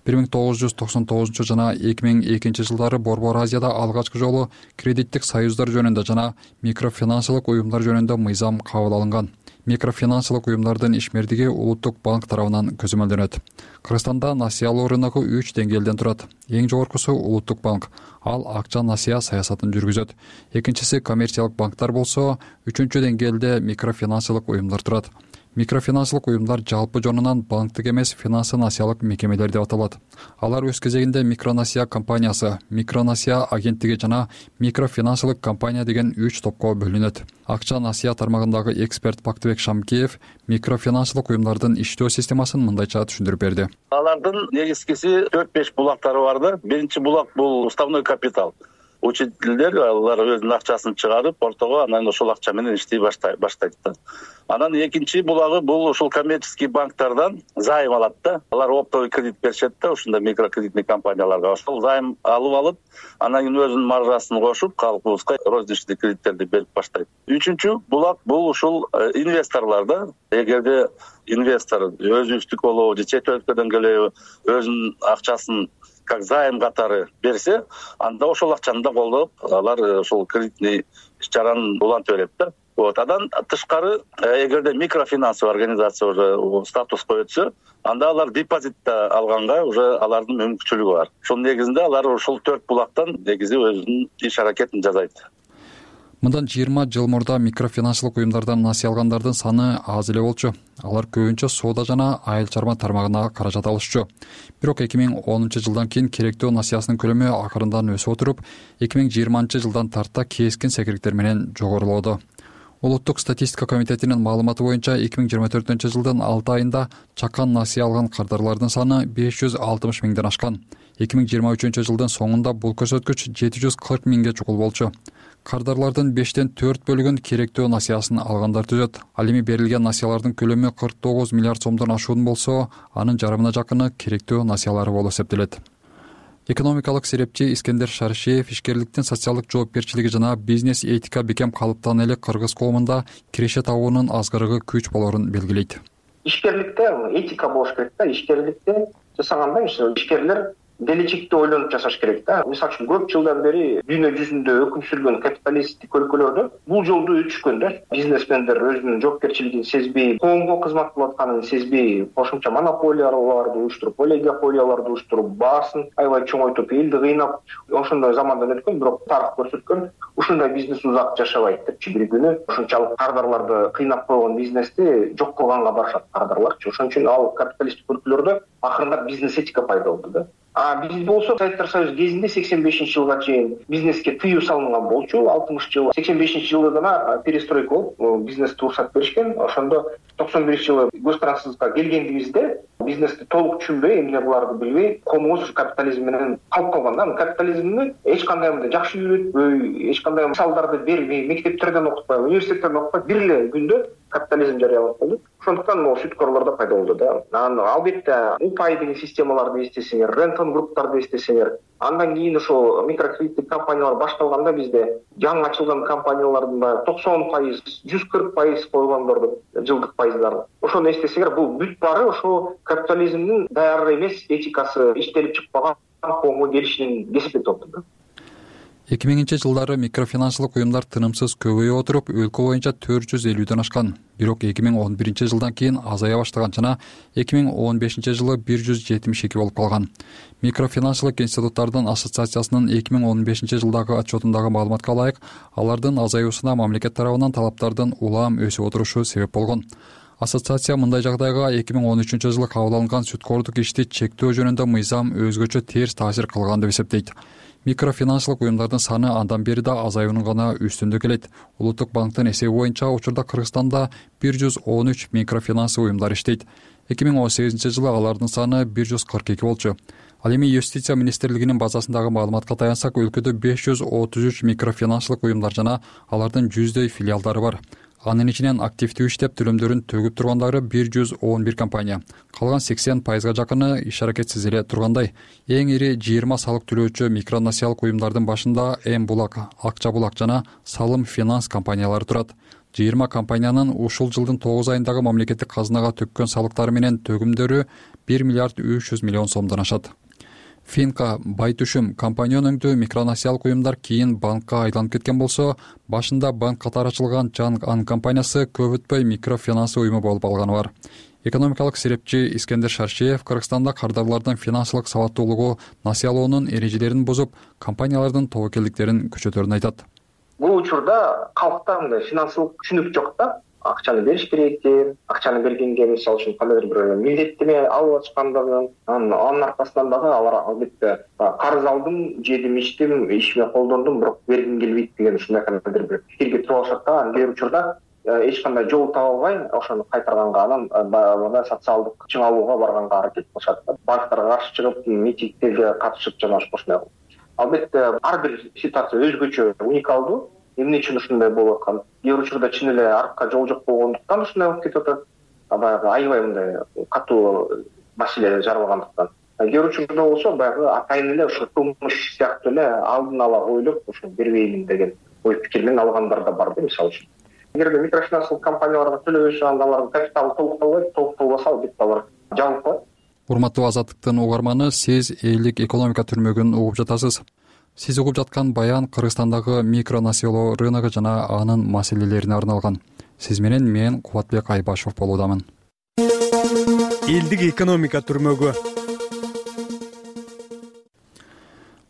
1999 жана 2002 жылдары Борбор Азияда алгачкы жолу кредиттик союздар жөнүндө жана микрофинансылык уюмдар жөнүндө мыйзам кабыл алынган. Микрофинансылык уюмдардын ишмердиги Улуттук банк тарабынан көзөмөлдөнөт. Кыргызстанда насыялоо рыногу 3 деңгээлден турат. Эң жогоркусу Улуттук банк. Ал акча насыя саясатын жүргүзөт. Экинчиси коммерциялык банктар болсо, 3-чү деңгээлде микрофинансылык уюмдар турат. Микрофинансылык уюмдар жалпы жонунан банктык эмес финансы насыялык мекемелер деп аталат. Алар өз кезегинде микронасыя компаниясы, микронасыя агенттиги жана микрофинансылык компания деген 3 топко бөлүнөт. Акча насыя тармагындагы эксперт Бактыбек Шамкеев микрофинансылык уюмдардын иштөө системасын мындайча түшүндүрүп берди. Алардын негизгиси 4-5 булактары бар да. Биринчи булак бул уставной капитал. Учителдер алар өзүнүн акчасын чыгарып, ортого анан ошол акча менен иштей баштайт да. Анан экинчи булагы бул ушул коммерческий банктардан займ алат да. Алар оптовый кредит беришет да, ушундай микрокредитный компанияларга. Ошол займ алып, анан кийин өзүнүн маржасын кошуп, калкыбызга розничный кредиттерди берип баштайт. Үчүнчү булак бул ушул инвесторлор да. Эгерде инвестор өзүбүздүк болобу же чет өлкөдөн келеби өзүнүн акчасын как займ катары берсе, анда ошол акчаны да колдоп, алар ошол кредитный иш-чараны улантып берет да. Андан тышкары, эгерде микрофинансовый организация уже статуска өтсө, анда алар депозитте алганга уже алардын мүмкүнчүлүгү бар. Ошонун негизинде алар ошол 4 булактан негизи өзүнүн иш аракетин жасайт. Мындан 20 жыл мурда микрофинансылык уюмдардан насыя алгандардын саны аз эле болчу. Алар көбүнчө соода жана айыл чарба тармагына каражат алышчу. Бирок 2010 жылдан кийин керектөө насыясынын көлөмү акырындан өсүп отуруп, 2020 жылдан тарта кескин секириктер менен жогорулоодо. Улуттук статистика комитетинин маалыматы боюнча 2024 жылдын 6 айында чакан насыя алган кардарлардын саны 560 миңден ашкан. 2023 жылдын соңунда бул көрсөткүч 740 миңге чукул болчу. Кардарлардын 5тен 4 бөлүгүн керектөө насыясын алгандар түзөт. Ал эми берилген насыялардын көлөмү 49 миллиард сомдон ашуун болсо, анын жарымына жакыны керектөө насыялары болуп эсептелет. Экономикалык серепчи Искендер Шаршиев ишкерликтин социалдык жоопкерчилиги жана бизнес этика бекем калыптан эле кыргыз коомунда киреше табуунун азгырыгы күч болорун белгилейт. Ишкерликте этика болуш керек да. Ишкерликте жасаганда ишкерлер келечекти ойлонуп жашаш керек да. Мисалы үчүн көп жылдан бери дүйнө жүзүндө өкүм сүргөн капиталисттик өлкөлөрдө бул жолду өтүшкөн да. Бизнесмендер өзүнүн жоопкерчилигин сезбей, коомго кызмат кылып атканын сезбей, кошумча монополияларды уюштуруп, олигополияларды уюштуруп, баасын аябай чоңойтуп, элди кыйнап, ошондой замандан өткөн, бирок тарых көрсөткөн ушундай бизнес узак жашабайт депчи. Бир күнү ушунчалык кардарларды кыйнап койгон бизнести жок кылганга барышат кардарларчы. Ошон үчүн ал капиталисттик өлкөлөрдө акырындап бизнес этика пайда болду да. Биз болсо Советтер Союзу кезинде 85-жылга чейин бизнеске тыюу салынган болчу. 60 жыл, 85-жылда гана перестройка болуп, бизнести уруксат беришкен. Ошондо 91-жылы көз-карансыздыкка келгендибизде бизнести толук түшүнбөй, эмне буларды билбей, коомубуз капитализм менен калып калган да. Капитализмди эч кандай мындай жакшы үйрөтпөй, эч кандай мисалдарды бербей, мектептерден окутпай, университеттерден окутпай, бир эле күндө капитализм жарыяланып калды. Ошондуктан могу сүткөрлөр да пайда болду да. Албетте упай деген системаларды эстесеңер, рентон групптарды эстесеңер, андан кийин ошо микрокредиттик компаниялар башталганда бизде жаңы ачылган компаниялардын да 90%, 140% койгондорду жылдык пайыздарын. Ошону эстесеңер, бул бүт баары ошо капитализмдин даяр эмес этикасы иштелип чыкпаган коомго келишинин кесиптеп топту. 2000 жылдары микрофинансылык уюмдар тынымсыз көбөйүп отуруп, өлкө боюнча 450ден ашкан. Бирок 2011 жылдан кийин азая баштаган жана 2015 жылы 172 болуп калган. Микрофинансылык институттардын ассоциациясынын 2015 жылдагы отчетундагы маалыматка ылайык, алардын азаюусуна мамлекет тарабынан талаптардын улам өсүп отурушу себеп болгон. Ассоциация мындай жагдайга 2013 жылы кабыл алынган сүткөрдүк ишти чектөө жөнүндө мыйзам өзгөчө терс таасир кылган деп эсептейт. Микрофинансылык уюмдардын саны андан бери да азаюунун гана үстүндө келет. Улуттук банктын эсеби боюнча учурда Кыргызстанда 113 микрофинансылык уюмдар иштейт. 2018 жылы алардын саны 142 болчу. Ал эми Юстиция министрлигинин базасындагы маалыматка таянсак, өлкөдө 533 микрофинансылык уюмдар жана алардын 100дөй филиалдары бар. Анын ичинен активдүү иштеп төлөмдөрүн төгүп тургандары 111 компания. Калган 80%га жакыны иш аракетсиз эле тургандай. Эң ири 20 салык төлөөчү микронасиялык уюмдардын башында М-Булак, Акча Булак жана Салым Финанс компаниялары турат. 20 компаниянын ушул жылдын 9 айындагы мамлекеттик казынага төккөн салыктары менен төгүмдөрү 1 миллиард 300 миллион сомдон ашат. Финка, Байтүшүм компания өнөңдүү микронасиялык уюмдар кийин банкка айланып кеткен болсо, башында банк катары ачылган Чанг Ан компаниясы көп өтпөй микрофинанс уюму болуп алганы бар. Экономикалык серепчи Искендер Шаршеев Кыргызстанда кардарлардын финансылык сабаттуулугу насыялоонун эрежелерин бузуп, компаниялардын тобокелдиктерин күчөтөрүн айтат. Бул учурда калкта мындай финансылык түшүнүк жок да. Акчаны бериш керек экен, акчаны бергенге мисалы үчүн кандайдыр бир милдеттеме алып ачкандыгын, анын аркасынан дагы алар албетте карыз алдым, жедим, ичтим, ишиме колдондум, бирок бергим келбейт деген ушундай кандайдыр бир пикирге туруп алышат да. Кээ бир учурда эч кандай жол таба албай, ошону кайтарганга, анан социалдык чыңалууга барганга аракет кылышат да. Банктарга каршы чыгып, митингтерге катышып жана ошондой. Албетте ар бир ситуация өзгөчө, уникалдуу. Эмне үчүн ушундай болуп аткан? Кээ бир учурда чын эле аркка жол жок болгондуктан ушундай болуп кетип атат. Баягы аябай мындай катуу маселе жаралгандыктан. Кээ бир учурда болсо баягы атайын эле ушу кылмыш сыяктуу эле алдын ала ойлоп ушу бербеймин деген ой пикир менен алгандар да бар да, мисалы үчүн. Эгерде микрофинансылык компанияларга төлөбөйсө, анда алардын капиталы толукталбаса, албетте алар жабылып калат. Урматтуу Азаттыктын угарманы, сиз элдик экономика түрмөгүн угуп жатасыз. Сиз угуп жаткан баян Кыргызстандагы микронасыялоо рыногу жана анын маселелерине арналган. Сиз менен мен Кубатбек Айбашев болуудамын. Элдик экономика түрмөгү.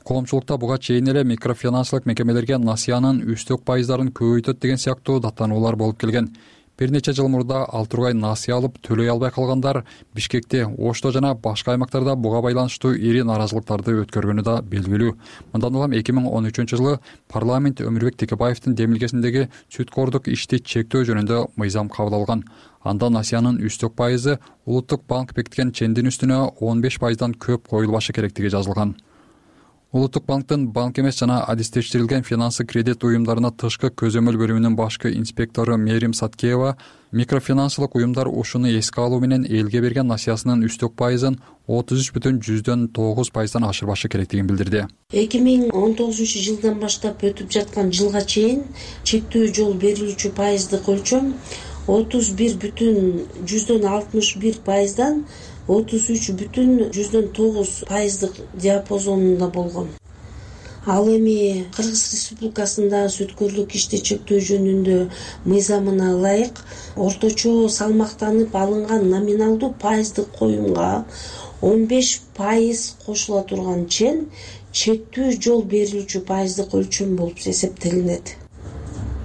Коомчулукта буга чейин эле микрофинансылык мекемелерге насыянын үстөк пайыздарын көбөйтөт деген сыяктуу даттануулар болуп келген. Бир нече жыл мурда ал тургай насыя алып төлөй албай калгандар Бишкекте, Ошто жана башка аймактарда буга байланыштуу ири нааразылыктарды өткөргөнү да белгилүү. Мындан улам 2013-жылы парламент Өмүрбек Текебаевдин демилгесиндеги сүткордук ишти чектөө жөнүндө мыйзам кабыл алган. Анда насыянын үстөк пайызы Улуттук банк бекиткен чендин үстүнө 15%дан көп коюлбашы керектиги жазылган. Улуттук банктын банк эмес жана адистештирилген финансы кредит уюмдарына тышкы көзөмөл бөлүмүнүн башкы инспектору Мерим Саткеева микрофинансылык уюмдар ушуну эске алуу менен элге берген насыясынын үстөк пайызын 33,9%дан ашырбашы керектигин билдирди. 2019 баштап өтүп жаткан жылга чейин чектөө жол берилүүчү пайыздык өлчөм 31,61%дан 33,9% диапазонунда болгон. Ал эми Кыргыз Республикасында сүткөрлүк ишти чектөө жөнүндө мыйзамына ылайык орточо салмактанып алынган номиналдуу пайыздык коюмга 15% кошула турган чен чектүү жол берилүүчү пайыздык өлчөм болуп эсептелинет.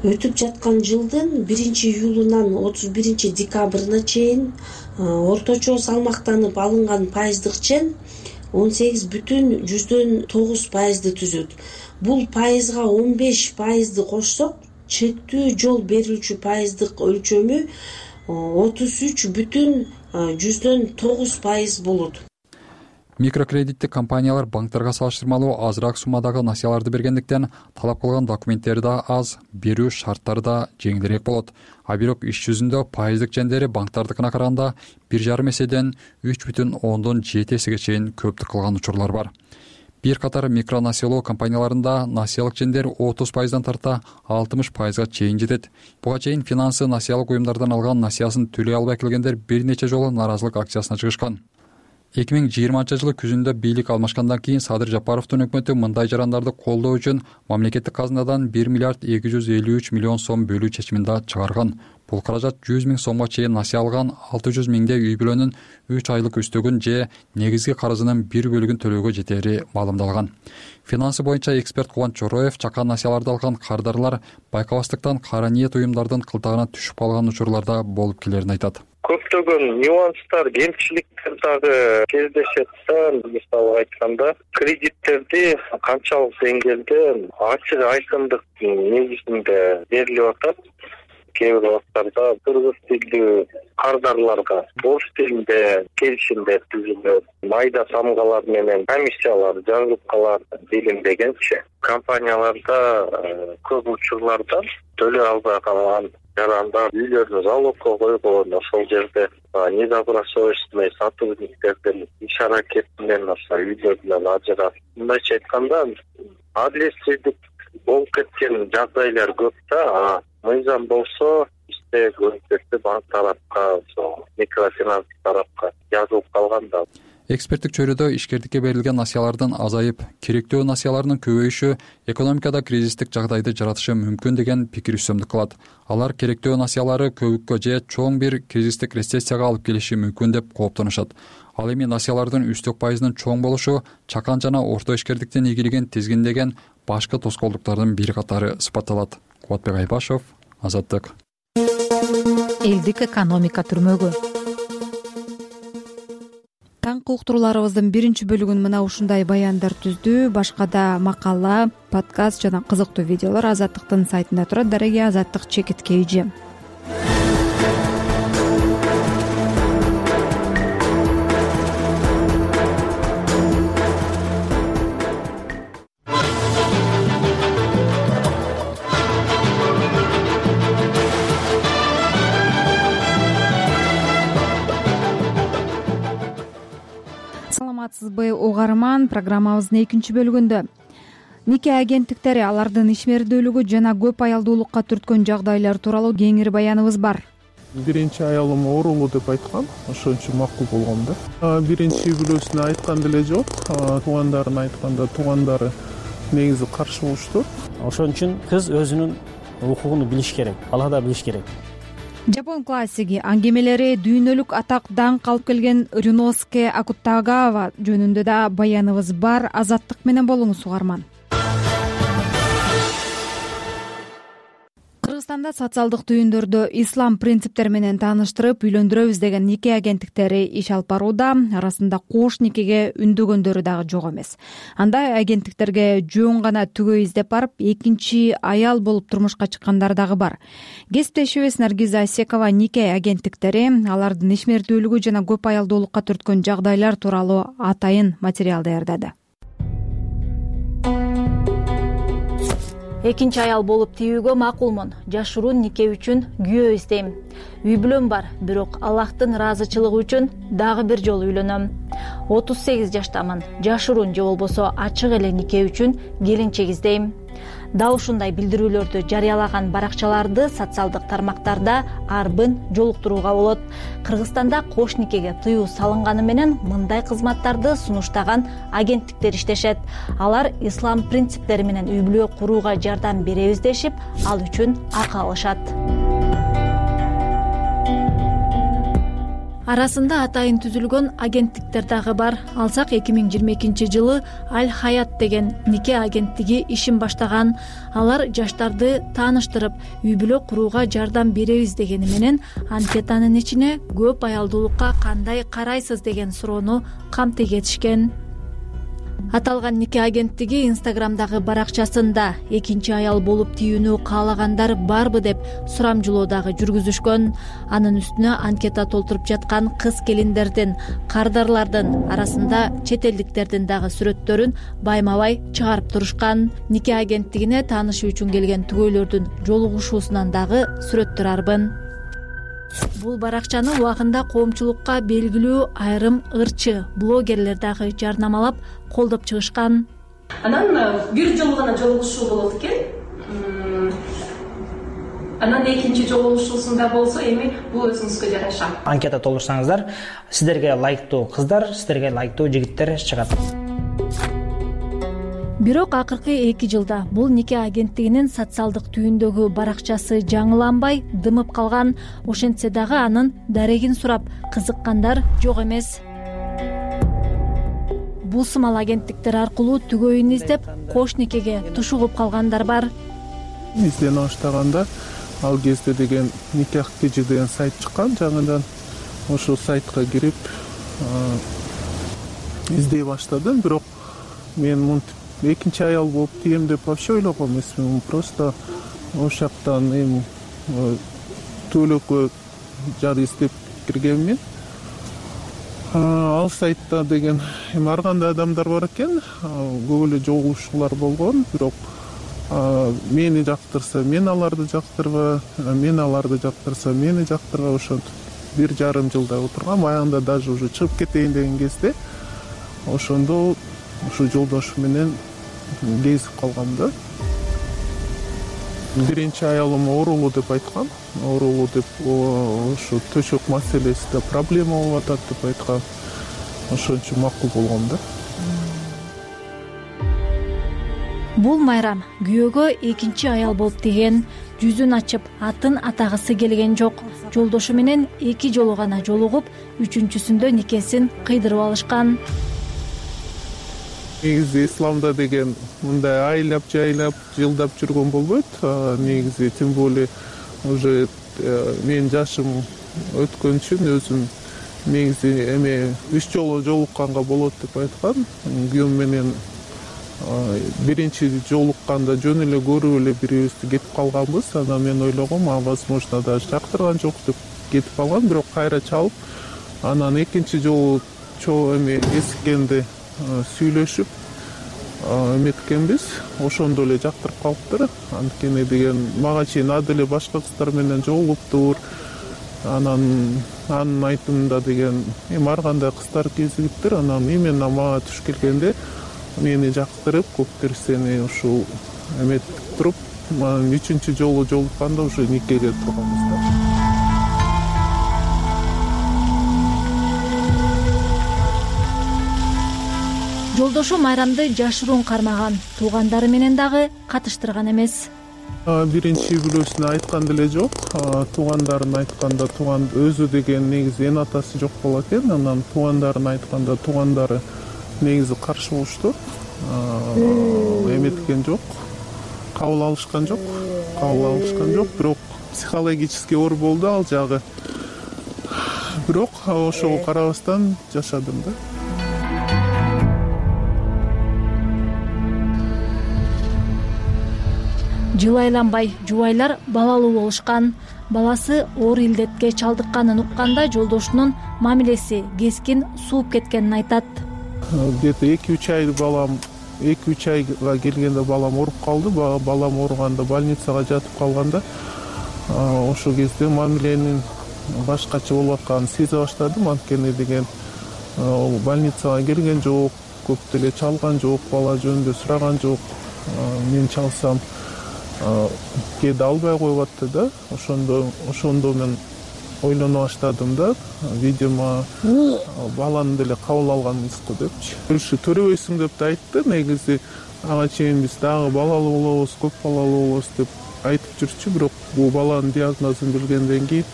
Өтүп жаткан жылдын 1-июлунан 31-декабрына чейин орточо салмактанып алынган пайыздык чен 18,9% түзөт. Бул пайызга 15% кошсок, чектүү жол берилүүчү пайыздык өлчөмү 33,9% болот. Микрокредиттик компаниялар банктарга салыштырмалуу азыраак суммадагы насыяларды бергендиктен талап кылган документтери да аз, берүү шарттары да жеңилирээк болот. А бирок иш жүзүндө пайыздык чендери банктардыкына караганда 1,5 эседен 3,7 эсеге чейин көптүк кылган учурлар бар. Бир катар микронасыялоо компанияларында насыялык чендер 30%дан тарта 60%га чейин жетет. Буга чейин финансы насыялык уюмдардан алган насыясын төлөй албай келгендер бир нече жолу нааразылык акциясына чыгышкан. 2020-жылы күзүндө бийлик алмашкандан кийин Садыр Жапаровдун өкмөтү мындай жарандарды колдоо үчүн мамлекеттик казынадан 1 миллиард 253 миллион сом бөлүү чечимин да чыгарган. Бул каражат 100 миң сомго чейин насыя алган 600 миңдей үй бүлөнүн 3 айлык үстөгүн же негизги карызынын бир бөлүгүн төлөөгө жетери маалымдалган. Финансы боюнча эксперт Кубанч Чороев чакан насыяларды алган кардарлар байкабастыктан кара ниет уюмдардын кылтагына түшүп калган учурларда болуп келерин айтат. Көптөгөн нюанстар, кемчиликтер дагы кездешет да. Мисалы айтканда, кредиттерди канчалык деңгээлде ачык айкындык негизинде берилип атат. Кээ бир убактарда кыргыз тилдүү кардарларга орус тилинде келишимдер түзүлөт. Майда самгалар менен комиссиялар жазылып калат делиндегенчи. Компанияларда көп учурларда төлөй албай калган жарандар үйлөрүн залогко койгон, ошол жерде недобросовестный сотрудниктердин иш аракети менен үйлөрүнөн ажырап, мындайча айтканда адилетсиздик болуп кеткен жагдайлар көп да. Мыйзам болсо көздөктү банк тарапка, микрофинанс тарапка жазылып калган да. Эксперттик чөйрөдө ишкердикке берилген насыялардын азайып, керектүү насыялардын көбөйүшү экономикада кризистик жагдайды жаратышы мүмкүн деген пикир үстөмдүк кылат. Алар керектүү насыялары көбүккө же чоң бир кризистик рецессияга алып келиши мүмкүн деп кооптонушат. Ал эми насыялардын үстөк пайызынын чоң болушу чакан жана орто ишкердиктин ийгилигин тизгиндеген башкы тоскоолдуктардын бири катары сыпатталат. Кубатбек Айбашев, Азаттык. Элдик экономика түрмөгү. Таңкы уктурууларыбыздын биринчи бөлүгүн мына ушундай баяндар түздү. Башка да макала, подкаст жана кызыктуу видеолор Азаттыктын сайтында турат. Дареги Азаттык чекитке ийже. Саламатсызбы угарман, программабыздын экинчи бөлүгүндө нике агенттиктери алардын ишмердүүлүгү жана көп аялдуулукка түрткөн жагдайлар тууралуу кеңири баяныбыз бар. Биринчи аялым оорулуу деп айткан, ошон үчүн макул болгом да. Биринчи үй бүлөсүнө айткан деле жок, туугандарына айтканда туугандары негизи каршы болушту. Ошон үчүн кыз өзүнүн укугун билиш керек, бала да билиш керек. Жапон классиги аңгемелери дүйнөлүк атак даңк алып келген Рюноске Акутагава жөнүндө да баяныбыз бар. Азаттык менен болуңуз угарман. Кыргызстанда социалдык түйүндөрдө ислам принциптери менен тааныштырып үйлөндүрөбүз деген нике агенттиктери иш алып барууда. Арасында кош никеге үндөгөндөрү дагы жок эмес. Андай агенттиктерге жөн гана түгөй издеп барып, экинчи аял болуп турмушка чыккандар дагы бар. Кесиптешибиз Наргиза Асекова нике агенттиктери алардын ишмердүүлүгү жана көп аялдуулукка түрткөн жагдайлар тууралуу атайын материал даярдады. Экинчи аял болуп тийүүгө макулмун. Жашыруу нике үчүн күйөө издейм. Үй бүлөм бар, бирок Аллахтын ыраазычылыгы үчүн дагы бир жолу үйлөнөм. 38 жаштамын. Жашыруун же болбосо ачык эле нике үчүн келинчек издейм. Дал ушундай билдирүүлөрдү жарыялаган баракчаларды социалдык тармактарда арбын жолуктурууга болот. Кыргызстанда кош никеге тыюу салынганы менен мындай кызматтарды сунуштаган агенттиктер иштешет. Алар ислам принциптери менен үй бүлө курууга жардам беребиз дешип, ал үчүн акы алышат. Арасында атайын түзүлгөн агенттиктер дагы бар. Алсак 2022 жылы Аль Хаят деген нике агенттиги ишин баштаган. Алар жаштарды тааныштырып, үй бүлө курууга жардам беребиз дегени менен анкетанын ичине көп аялдуулукка кандай карайсыз деген суроону камтык этишкен. Аталган нике агенттиги Инстаграмдагы баракчасында экинчи аял болуп тийүүнү каалагандар барбы деп сурамжылоо дагы жүргүзүшкөн. Анын үстүнө анкета толтуруп жаткан кыз-келиндердин, кардарлардын арасында чет элдиктердин дагы сүрөттөрүн байма-бай чыгарып турушкан. Нике агенттигине таанышуу үчүн келген түгөйлөрдүн жолугушуусунан дагы сүрөттөр арбын. Бул баракчаны убагында коомчулукка белгилүү айрым ырчы блогерлер дагы жарнамалап, колдоп чыгышкан. Анан бир жолу гана жолугушуу болот экен. Анан экинчи жолугушуусунда болсо эми бул өзүңүзгө жараша. Анкета толтурсаңыздар, сиздерге лайктуу кыздар, сиздерге лайктуу жигиттер чыгат. Бирок акыркы 2 жылда бул нике агенттигинин социалдык түйүндөгү баракчасы жаңыланбай, дымып калган. Ошентсе дагы анын дарегин сурап кызыккандар жок эмес. Бул сымал агенттиктер аркылуу түгөйүн издеп, кош никеге тушугуп калгандар бар. Издене баштаганда ал кезде деген никах кижи деген сайт чыккан, жаңыдан ошол сайтка кирип издей баштадым. Бирок мен экинчи аял болуп тием деп вообще ойлогон эмесмин. Просто ош жактан эми төлөккө жар издеп киргенмин. Ал сайтта деген эми ар кандай адамдар бар экен, көп эле жолугушуулар болгон, бирок мени жактырса мен аларды жактырба, мен аларды жактырса мени жактырба, ошентип 1,5 жылдай отургам. Аягында даже уже чыгып кетейин деген кезде ошондо ушу жолдошум менен кезип калгам да. Биринчи аялым оорулуу деп айткан. Оорулуу деп, ошо төшөк маселесинде проблема болуп атат деп айткан. Ошон үчүн макул болгом да. Бул Майрам күйөөгө экинчи аял болуп тийген, жүзүн ачып атын атагысы келген жок. Жолдошу менен 2 жолу гана жолугуп, 3-сүндө никесин кыйдырып алышкан. Негизи исламда деген мындай айлап жайлап жылдап жүргөн болбойт. Негизи тем более уже менин жашым өткөн үчүн өзүм негизи эме 3 жолу жолукканга болот деп айткан. Күйөөм менен биринчи жолукканда жөн эле көрүп эле бирибизди кетип калганбыз. Анан мен ойлогом, возможно даже жактырган жок деп кетип калган, бирок кайра чалып, анан экинчи жолу эме эсиккенде сүйлөшүп эметкенбиз. Ошондо эле жактырып калыптыр. Анткени деген мага чейин ады эле башка кыздар менен жолугуптур. Анан анын айтымында деген ар кандай кыздар кезигиптир. Анан именно мага туш келгенде мени жактырып, көп нерсени ушул эметип туруп, 3-чү жолу жолукканда уже никеге турганбыз да. Жолдошу Майрамды жашыруун кармаган, туугандары менен дагы катыштырган эмес. Биринчи үй-бүлөсүнө айткан деле жок. Туугандарын айтканда өзү деген негизи эн атасы жок болот экен. Анан туугандарын айтканда туугандары негизи каршы болушту. Эметкен жок, кабыл алышкан жок. Бирок психологический оор болду ал жагы. Бирок ошого карабастан жашадым да. Жыл айланбай жубайлар балалуу болушкан. Баласы оор илдетке чалдыкканын укканда жолдошунун мамилеси кескин сууп кеткенин айтат. Где-то 2-3 айга келгенде балам ооруп калды. Балам ооруганда больницага жатып калганда ошол кезде мамиленин башкача болуп атканын сезе баштадым. Анткени деген больницага келген жок, көп деле чалган жок, бала жөнүндө сураган жок. Мен чалсам кээде албай коюп атты да. Ошондо мен ойлоно баштадым да. Видимо, баланы деле кабыл алганбызбы депчи. Уши төрөбөйсүң деп да айтты. Негизи ага чейин биз дагы балалуу болобуз, көп балалуу болобуз деп айтып жүрчү. Бирок бул баланын диагнозун билгенден кийин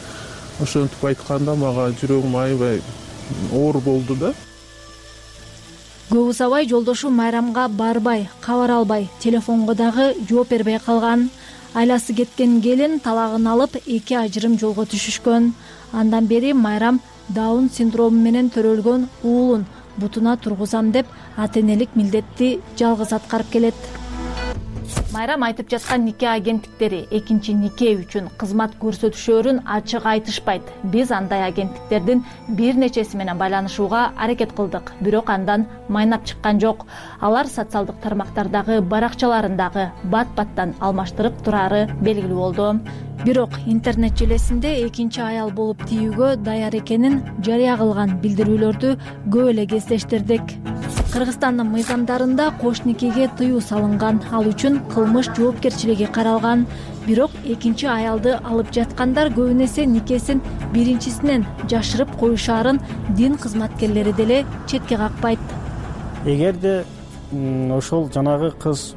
ошентип айтканда мага жүрөгүм аябай оор болду да. Көп узабай жолдошу Майрамга барбай, кабар албай, телефонго дагы жооп бербей калган. Айласы кеткен келин талагын алып 2 ажырым жолго түшүшкөн. Андан бери Майрам Даун синдрому менен төрөлгөн уулун бутуна тургузам деп ата-энелик милдетти жалгыз аткарып келет. Майрам айтып жаткан нике агенттиктери экинчи нике үчүн кызмат көрсөтүшөөрүн ачык айтышпайт. Биз андай агенттиктердин бир нечеси менен байланышууга аракет кылдык, бирок андан майнап чыккан жок. Алар социалдык тармактардагы баракчаларындагы бат-баттан алмаштырып турары белгилүү болду. Бирок интернет желесинде экинчи аял болуп тийүүгө даяр экенин жарыя кылган билдирүүлөрдү көп эле кездештирдик. Кыргызстандын мыйзамдарында кош никеге тыюу салынган, ал үчүн кылмыш жоопкерчилиги каралган. Бирок экинчи аялды алып жаткандар көбүн эсе никесин биринчисинен жашырып коюшаарын дин кызматкерлери деле четке какпайт. Эгерде ошол жанагы кыз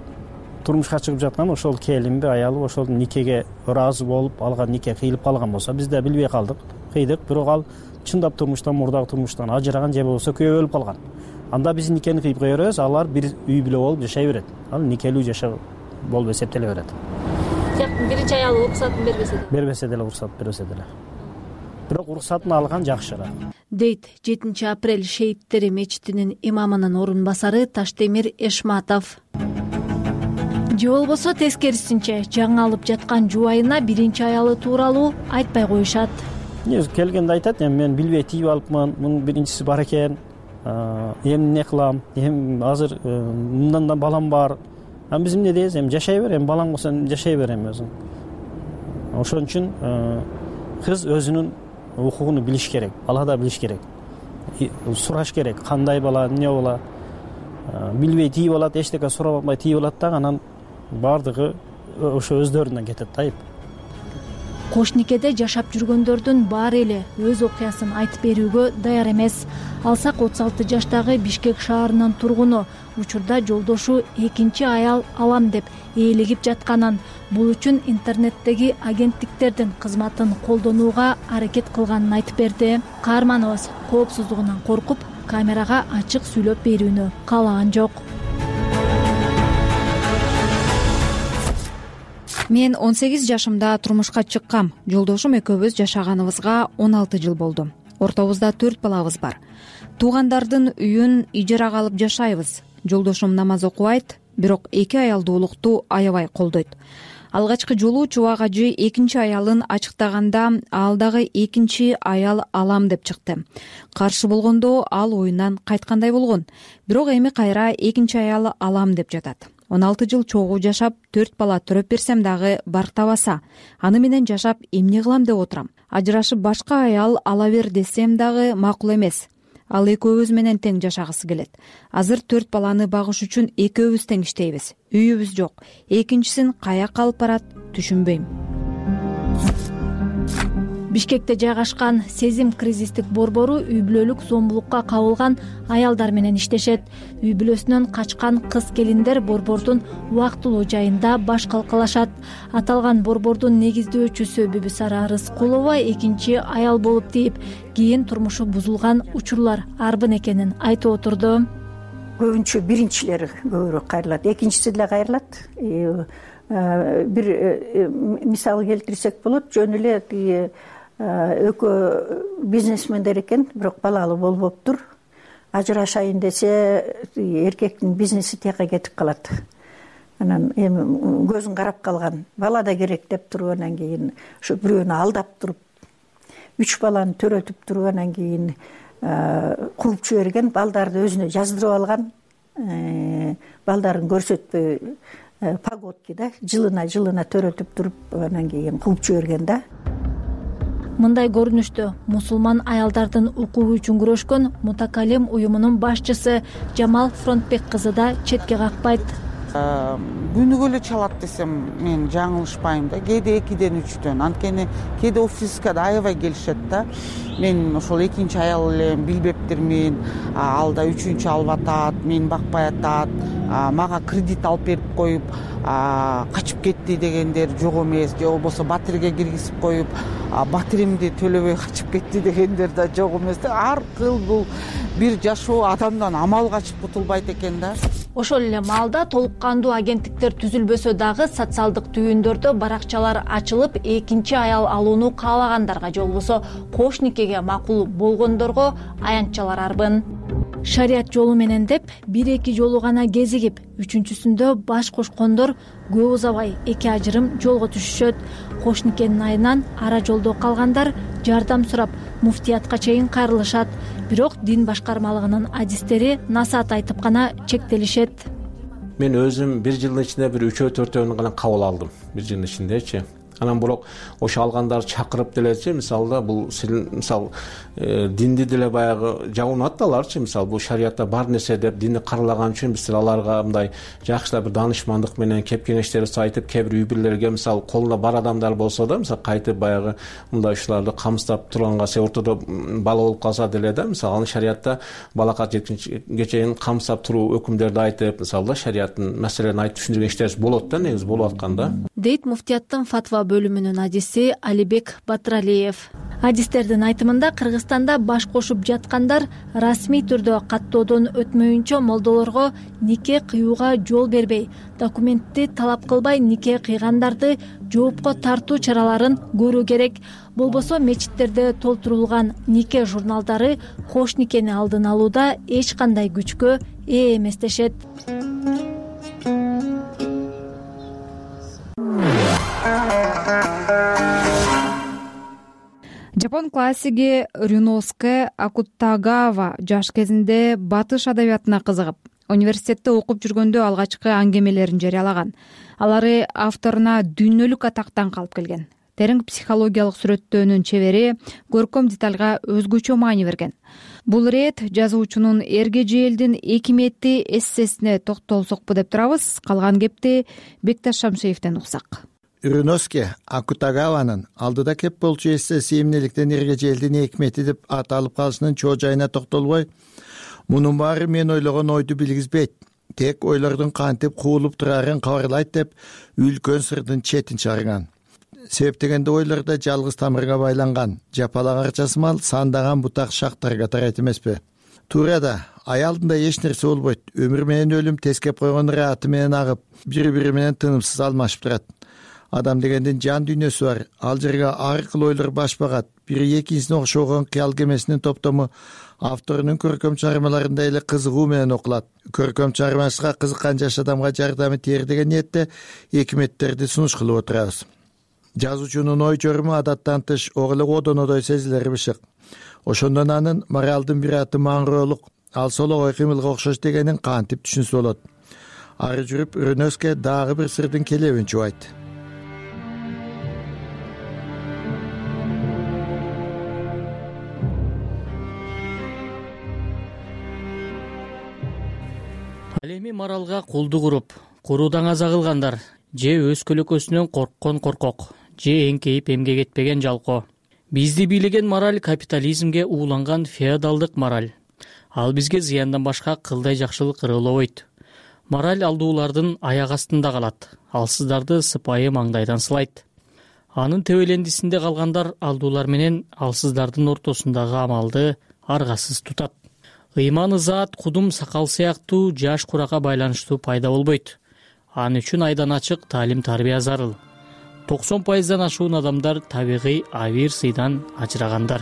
турмушка чыгып жаткан ошол келинби, аялы ошол никеге ыраазы болуп алган, нике кыйылып калган болсо, биз да билбей калдык, кыйдык, бирок ал чындап турмуштан, мурдагы турмуштан ажыраган же болбосо күйөө өлүп калган. Анда биз никени кыйып кое беребиз, алар бир үй бүлө болуп жашай берет. Ал никелүү жашоо болуп эсептеле берет. Биринчи аялы уруксатын бербесе деле уруксат бербесе деле. Бирок уруксатын алган жакшыраак. Дейт 7 апрель шейиттери мечитинин имамынын орун басары Таштемир Эшматов. Же болбосо тескерисинче жаңы алып жаткан жубайына биринчи аялы тууралуу айтпай коюшат. Келгенде айтат, мен билбей тийип алыпмын, мунун биринчиси бар экен, эмне кылам, азыр мындан да балам бар, биз эмне дейбиз, эми жашай бер, эми балаң болсо жашай бер эми өзүң. Ошон үчүн кыз өзүнүн укугун билиш керек, бала да билиш керек, сураш керек, кандай бала, эмне бала. Билбей тийип алат, эчтеке сурап албай тийип алат дагы, анан баардыгы ошо өздөрүнөн кетет айып. Кош никеде жашап жүргөндөрдүн баары эле өз окуясын айтып берүүгө даяр эмес. Алсак 36 жаштагы Бишкек шаарынын тургуну учурда жолдошу экинчи аял алам деп ээлигип жатканын, бул үчүн интернеттеги агенттиктердин кызматын колдонууга аракет кылганын айтып берди. Каарманыбыз коопсуздугунан коркуп, камерага ачык сүйлөп берүүнү каалаган жок. Мен 18 жашымда турмушка чыккам. Жолдошум экөөбүз жашаганыбызга 16 жыл болду. Ортобузда 4 балабыз бар. Туугандардын үйүн ижарага алып жашайбыз. Жолдошум намаз окубайт, бирок 2 аялдуулукту аябай колдойт. Алгачкы жолу Чубак ажы экинчи аялын ачыктаганда ал дагы экинчи аял алам деп чыкты. Каршы болгондо ал оюнан кайткандай болгон. Бирок эми кайра экинчи аял алам деп жатат. 16 жыл чогуу жашап, 4 бала төрөп берсем дагы барктабаса, аны менен жашап эмне кылам деп отурам. Ажырашып башка аял ала бер десем дагы макул эмес. Ал экөөбүз менен тең жашагысы келет. Азыр 4 баланы багыш үчүн экөөбүз тең иштейбиз. Үйүбүз жок. Экинчисин каяка алып барат, түшүнбөйм. Бишкекте жайгашкан Сезим кризистик борбору үй бүлөлүк зомбулукка кабылган аялдар менен иштешет. Үй бүлөсүнөн качкан кыз келиндер борбордун убактылуу жайында баш калкалашат. Аталган борбордун негиздөөчүсү Бүбүсара Рыскулова экинчи аял болуп тийип, кийин турмушу бузулган учурлар арбын экенин айтып отурду. Көбүнчө биринчилери көбүрөөк кайрылат, экинчиси деле кайрылат. Бир мисал келтирсек болот, жөн эле экөө бизнесмендер экен, бирок балалуу болбоптур. Ажырашайын десе, эркектин бизнеси тияка кетип калат. Анан эми көзүн карап калган, бала да керек деп туруп, анан кийин ошо бирөөнү алдап туруп, 3 баланы төрөтүп туруп, анан кийин кууп жиберген, балдарды өзүнө жаздырып алган, балдарын көрсөтпөй погодки да, жылына төрөтүп туруп, анан кийин кууп жиберген да. Мындай көрүнүштө мусулман аялдардын укугу үчүн күрөшкөн Мутакалим уюмунун башчысы Жамал Фронтбек кызы да четке какпайт. Күнүгө эле чалат десем мен жаңылышпайм да, кээде 2-ден 3-төн, анткени кээде офиска да аябай келишет да. Мен ошол экинчи аял элем, билбептирмин, ал да 3-үнчү алып атат, мен бакпай атат, мага кредит алып берип коюп, качып кетти дегендер жок эмес, же болбосо батирге киргизип коюп, батиримди төлөбөй качып кетти дегендер да жок эмес да. Ар кыл бул бир жашоо адамдан амал качып кутулбайт экен да. Ошол эле маалда толук кандуу агенттиктер түзүлбөсө дагы социалдык түйүндөрдө баракчалар ачылып, экинчи аял алууну каалагандарга же болбосо кош никеге макул болгондорго аянтчалар арбын. Шарият жолу менен деп 1-2 жолу гана кезигип, 3-сүндө баш кошкондор көп узабай эки ажырым жолго түшүшөт. Кош никенин айынан ара жолдо калгандар жардам сурап муфтиятка чейин кайрылышат. Бирок дин башкармалыгынын адистери насаат айтып гана чектелишет. Мен өзүм 1 жылдын ичинде бир 3-4 гана кабыл алдым, 1 жылдын ичиндечи. Анан бирок ошо алгандарды чакырып делечи, мисалда бул мисал динди деле баягы жабынат да аларчы, мисал бул шариятта бар нерсе деп динди каралаган үчүн биз аларга мындай жакшылап бир даанышмандык менен кеп кеңештерибизди айтып, кээ бир үй бүлөлөргө мисал колунда бар адамдар болсо да, мисал кайтып баягы мындай ушуларды камсыздап турганга, се ортодо бала болуп калса деле да, мисал аны шариятта балага жеткенче чейин камсыздап туруу өкүмдөрдү айтып, мисалда шариаттын маселелерин айтып түшүндүргөн иштерибиз болот да, негизи болуп аткан да. Дейт муфтияттын фатва бөлүмүнүн адиси Алибек Батыралиев. Адистердин айтымында Кыргызстанда баш кошуп жаткандар расмий түрдө каттоодон өтмөйүнчө молдолорго нике кыюуга жол бербей, документти талап кылбай нике кыйгандарды жоопко тартуу чараларын көрүү керек. Болбосо мечиттерде толтурулган нике журналдары кош никени алдын алууда эч кандай күчкө ээ эмес дешет. Жапон классиги Рюноске Акутагава жаш кезинде батыш адабиятына кызыгып, университетте окуп жүргөндө алгачкы аңгемелерин жарыялаган. Алары авторуна дүйнөлүк атактан калып келген. Терең психологиялык сүрөттөөнүн чебери көркөм детальга өзгөчө маани берген. Бул ирет жазуучунун Эргежээлдин экимети эссесине токтолсокпу деп турабыз. Калган кепти Бекташ Шамшеевден уксак. Рюноске Акутагаванын алдыда кеп болчу эссеси эмнеликтен Эргежээлдин экимети деп ат алып калышынын чоо жайына токтолбой, мунун баары мен ойлогон ойду билгизбейт, тек ойлордун кантип куулуп турарын кабарлайт деп үлкөн сырдын четин чыгарган. Себеп дегенде ойлордо жалгыз тамырга байланган, жапалак арчасы мал сандаган бутак шактарга тарайт эмеспи? Туура да, аялдында эч нерсе болбойт. Өмүр менен өлүм тескеп койгон ырааты менен агып, бири-бири менен тынымсыз алмашып турат. Адам дегендин жан дүйнөсү бар. Ал жерге ар кыл ойлор баш багат. Бири экинчисине окшогон кыял кемесинин топтому авторунун көркөм чыгармаларында эле кызыгуу менен окулат. Көркөм чыгармачылыкка кызыккан жаш адамга жардамы тиер деген ниетте экиметтерди сунуш кылып отурабыз. Жазуучунун ой жоруму адаттан тыш ок эле одонодой сезилери бышык. Ошондон анын моралдын бир аты маңгыроолук, ал сологой кыймылга окшош дегенин кантип түшүнсө болот. Ары жүрүп Рюноске дагы бир сырдын келебин чубайт. Ал эми моралга кулдук уруп, куруудан аза кылгандар, же өз көлөкөсүнөн корккон коркок, же эңкейип эмгек этпеген жалко. Бизди бийлеген мораль капитализмге ууланган феодалдык мораль. Ал бизге зыяндан башка кылдай жакшылык ырыылабойт. Мораль алдуулардын аяк астында калат, алсыздарды сыпайы маңдайдан сылайт. Анын төбөлендисинде калгандар алдуулар менен алсыздардын ортосундагы амалды аргасыз тутат. Ыйман ызаат, кудум сакал сыяктуу жаш куракка байланыштуу пайда болбойт. Ан үчүн айдан ачык таалим-тарбия зарыл. 90% ашуун адамдар табигый авир сыйдан ажырагандар.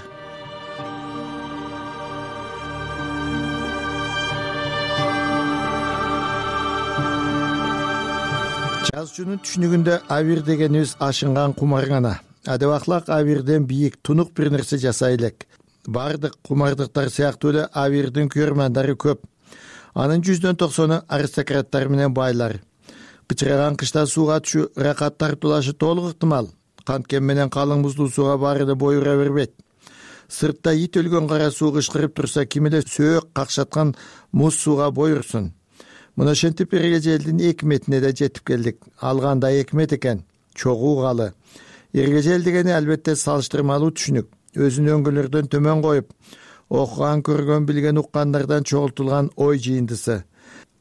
Жазуучунун түшүнүгүндө авир дегенибиз ашынган кумар гана. Адабаклак авирден бийик, тунук бир нерсе жасай элек. Бардык кумардыктар сыяктуу эле авирдин көрмандары көп. Анын 190 аристократтар менен байлар. Кычыраган кышта сууга түшүү, ракат тартуулашы толук ыктымал. Канткен менен калың буздуу сууга баары да бойура бербейт. Сыртта ит өлгөн кара суу кышкырып турса, ким эле сөөк какшаткан муз сууга бойурсун. Мына ошентип Эргежээлдин экиметине да жетип келдик. Ал кандай экимет экен? Чогуу калы. Эргежел дегени албетте салыштырмалуу түшүнүк. Өзүн өңгөлөрдөн төмөн коюп, окуган, көргөн, билген, уккандардан чогултулган ой жыйындысы.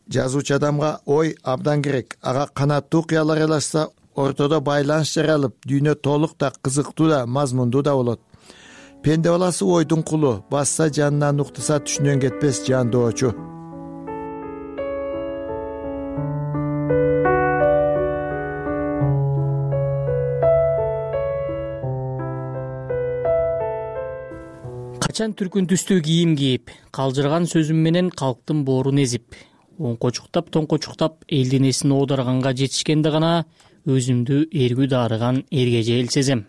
Жазуучу адамга ой абдан керек. Ага канаттуу кыял аралашса, ортодо байланыш жаралып, дүйнө толук да, кызыктуу да, мазмундуу да болот. Пенде баласы ойдун кулу, басса жанынан, уктаса түшүнөн кетпес жандоочу. Качан түркүн түстүү кийим кийип, калжыраган сөзүм менен калктын боорун эзип, оңкочуктап, тоңкочуктап элдин эсин оодарганга жетишкенде гана өзүмдү эргүү даарыган Эргежел сезем.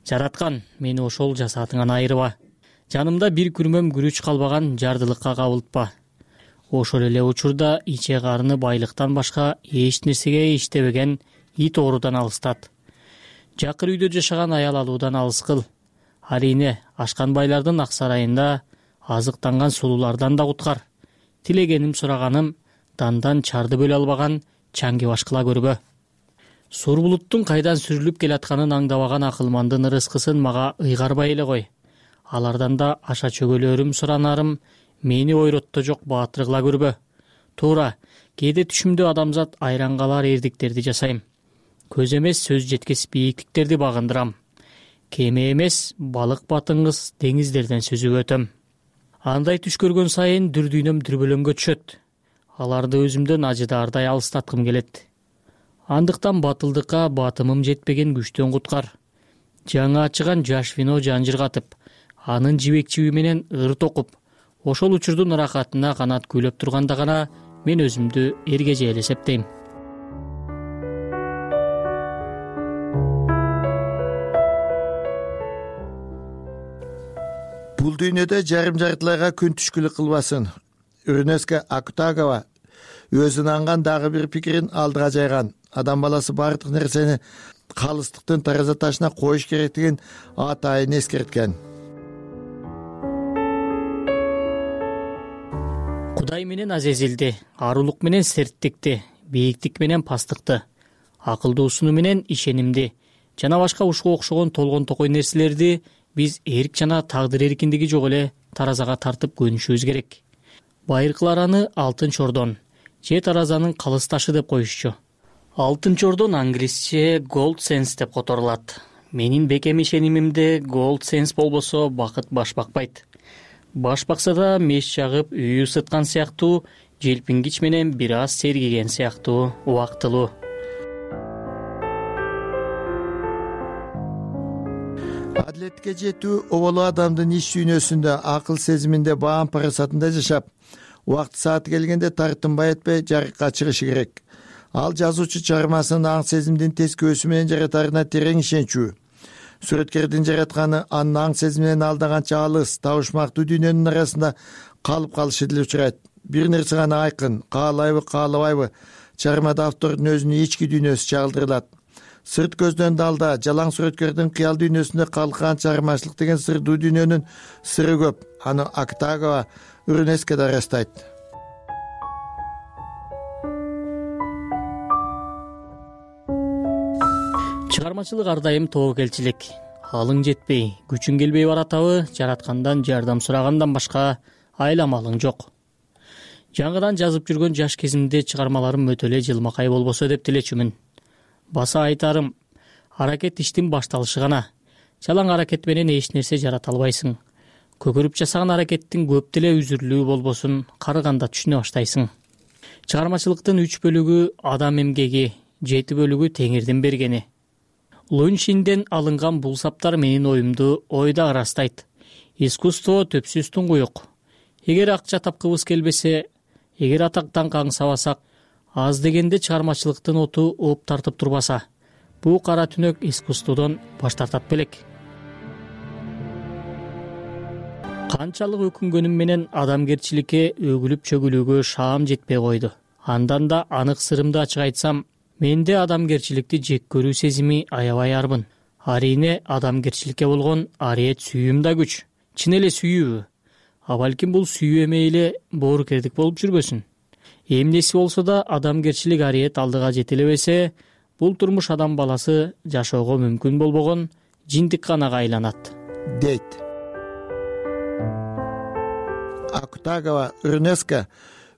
Жараткан, мени ошол жасаатыңан айырба. Жанымда бир күрмөм күрүч калбаган жардылыкка кабылтпа. Ошол эле учурда иче карыны байлыктан башка эч нерсеге иштебеген ит оорудан алыстат. Жакыр үйдө жашаган аял алуудан алыс кыл. Арине, ашкан байлардын ак сарайында азыктанган сулуулардан да куткар. Тилегеним, сураганым, дандан чарды бөлө албаган чаңги башкыла көрбө. Сур булуттун кайдан сүрүлүп келатканын аңдабаган акылмандын ырыскысын мага ыйгарбай эле кой. Алардан да аша чөгөлөрүм, суранарым мени ойротто жок баатыр кыла көрбө. Туура, кээде түшүмдө адамзат айран калар эрдиктерди жасайм. Көз эмес, сөз жеткес бийиктиктерди багындырам. Кеме эмес, балык батыңыз деңиздерден сүзүп өтөм. Андай түш көргөн сайын дүрдүйнөм дүрбөлөнгө түшөт. Аларды өзүмдөн ажыдаардай алыстаткым келет. Андыктан батылдыкка батымым жетпеген күчтөн куткар. Жаңы ачыган жаш вино жанжыргатып, анын жибекчиби менен ыр токуп, ошол учурдун ыракатына канат күйлөп турганда гана мен өзүмдү Эргежел эсептейм. Бул дүйнөдө жарым жартылайга күн түшкүлүк кылбасын. Рюноске Акутагава өз ынанган дагы бир пикирин алдыга жайган. Адам баласы бардык нерсени калыстыктын тараза ташына коюш керектигин атайын эскерткен. Кудай менен азезилди, арулук менен серттикти, бийиктик менен пастыкты, акылдуусуну менен ишенимди жана башка ушуга окшогон толгон токой нерселерди биз эрк жана тагдыр эркиндиги жок эле таразага тартып көнүшүбүз керек. Байыркылар аны алтын чордон же таразанын калыс ташы деп коюшчу. Алтын чордон англисче gold sense деп которулат. Менин бекем ишенимимде gold sense болбосо бакыт баш бакпайт. Баш бакса да меш жагып үй ысыткан сыяктуу, желпингич менен бир аз сергиген сыяктуу убактылуу. Адилетке жетүү оболу адамдын иш дүйнөсүндө, акыл сезиминде, баам парасатында жашап, убакыт сааты келгенде тартынбай этпей жарыкка чыгышы керек. Ал жазуучу чыгармасынын аң сезимдин тескөөсү менен жаратарына терең ишенчүү. Сүрөткердин жаратканы анын аң сезиминен алдаганча алыс, табышмактуу дүйнөнүн арасында калып калышы деле учурайт. Бир нерсе гана айкын, каалайбы, каалабайбы, чыгармада автордун өзүнүн ички дүйнөсү чагылдырылат. Сырт көздөн далда, жалаң сүрөткердин кыял дүйнөсүндө калкан чыгармачылык деген сырдуу дүйнөнүн сыры көп. Аны Акутагава Урнеска да ырастайт. Чыгармачылык ар дайым тобокелчилик. Алың жетпей, күчүң келбей баратабы, жараткандан жардам сурагандан башка айламалың жок. Жаңыдан жазып жүргөн жаш кезимде чыгармаларым өтө эле жылмакай болбосо деп тилечүмүн. Баса айтарым, аракет иштин башталышы гана. Жалаң аракет менен эч нерсе жарата албайсың. Көкөрүп жасаган аракеттин көп деле үзүрлүү болбосун карыганда түшүнө баштайсың. Чыгармачылыктын 3 бөлүгү адам эмгеги, 7 бөлүгү Теңирдин бергени. Луншинден алынган бул саптар менин оюмду ойда ырастайт. Искусство төпсүз туңгуюк. Эгер акча тапкыбыз келбесе, эгер атактан каңсабасак, аз дегенде чыгармачылыктын оту ооп тартып турбаса, бул кара түнөк искусстводон баш тартат белек. Канчалык өкүнгөнүм менен адамгерчиликке өгүлүп чөгүлүүгө шаам жетпей койду. Андан да анык сырымды ачык айтсам, менде адамгерчиликти жек көрүү сезими аябай арбын. Арине адамгерчиликке болгон ариет сүйүүм да күч. Чын эле сүйүүбү? А балким бул сүйүү эмей эле боорукердик болуп жүрбөсүн. Эмнеси болсо да адамгерчилик ариет алдыга жетелебесе, бул турмуш адам баласы жашоого мүмкүн болбогон жиндик канага айланат, дейт. Акутагава Урнеска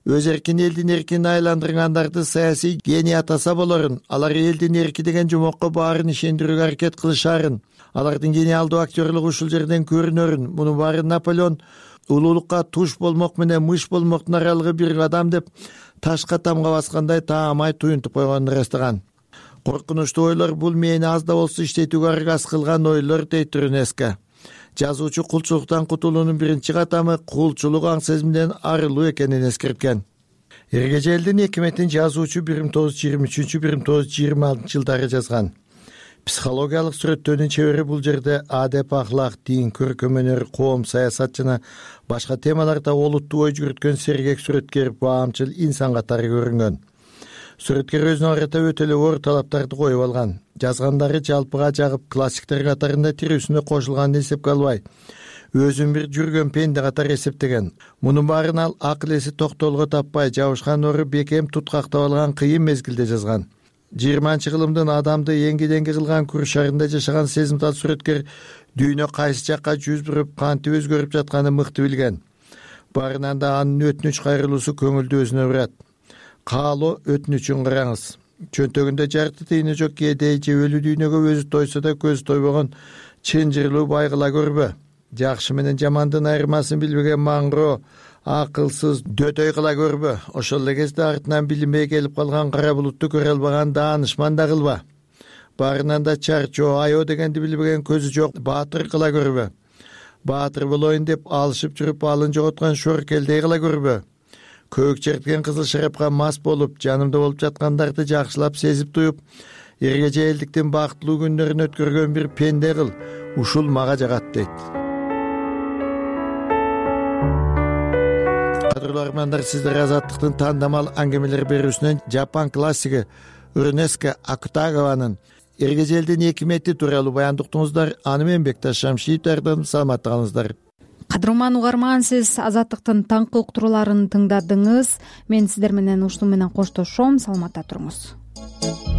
өз эркин элдин эркине айландыргандарды саясий гений атаса болорун, алар элдин эрки деген жомокко баарын ишендирүүгө аракет кылышарын, алардын гениалдуу актерлугу ушул жерден көрүнөрүн. Мунун баары Наполеон улуулукка туш болмок менен мыш болмоктун аралыгы бир адам деп ташка тамга баскандай таамай туюнтуп койгонун ырастаган. Коркунучтуу ойлор бул мени аз да болсо иштетүүгө аргас кылган ойлор, дейт Урнеска. Жазуучу кулчулуктан кутулуунун биринчи катамы кулчулук аң сезимден арылуу экенин эскерткен. Эргежелдин экиметин жазуучу 1923-1926 жылдары жазган. Психологиялык сүрөттөөнүн чебери бул жерде адеп, ахлак, дин, көркөм өнөр, коом, саясат жана башка темаларда олуттуу ой жүгүрткөн сергек сүрөткер, баамчыл инсан катары көрүнгөн. Сүрөткер өзүнө карата өтө эле оор талаптарды коюп алган. Жазгандары жалпыга жагып, классиктер катарында тирүүсүнө кошулганын эсепке албай, өзүн бир жүргөн пенде катары эсептеген. Мунун баарын ал акыл эси токтоолго таппай, жабышкан ору бекем туткактап алган кыйын мезгилде жазган. 20-кылымдын адамды эңги-деңги кылган күр шарында жашаган сезимтал сүрөткер дүйнө кайсы жакка жүз буруп, кантип өзгөрүп жатканын мыкты билген. Барынан да анын өтүнүч кайрылуусу көңүлдү өзүнө урат. Каалоо өтүнүчүн караңыз. Чөнтөгүндө жарты тыйыны жок кээдей же өлүү дүйнөгө өзү тойсо да көзү тойбогон чынжырлуу байгыла көрбө. Жакшы менен жамандын айырмасын билбеген маңгыроо, акылсыз дөтөй кыла көрбө. Ошол эле кезде артынан билинбей келип калган кара булутту көрө албаган даанышман да кылба. Барынан да чарчоо, аё дегенди билбеген көзү жок баатыр кыла көрбө. Баатыр болоюн деп алышып жүрүп алын жоготкон шоркелдей кыла көрбө. Көк черткен кызыл шарапка мас болуп, жанымда болуп жаткандарды жакшылап сезип туюп, эргежээлдиктин бактылуу күндөрүн өткөргөн бир пенде кыл. Ушул мага жагат, дейт. угармандар, сиздер Азаттыктын тандамал аңгемелер берүүсүнөн Жапон классиги Уренеска Акутагаванын эргежелдин 2 метри тууралуу баянды уктуңуздар. Аны менен Бекташ Шамшиевдин саламатта калыңыздар. Кадырман угарман, сиз Азаттыктын таңкы уктурууларын тыңдадыңыз. Мен сиздер менен ушуну менен коштошом. Саламатта туруңуз.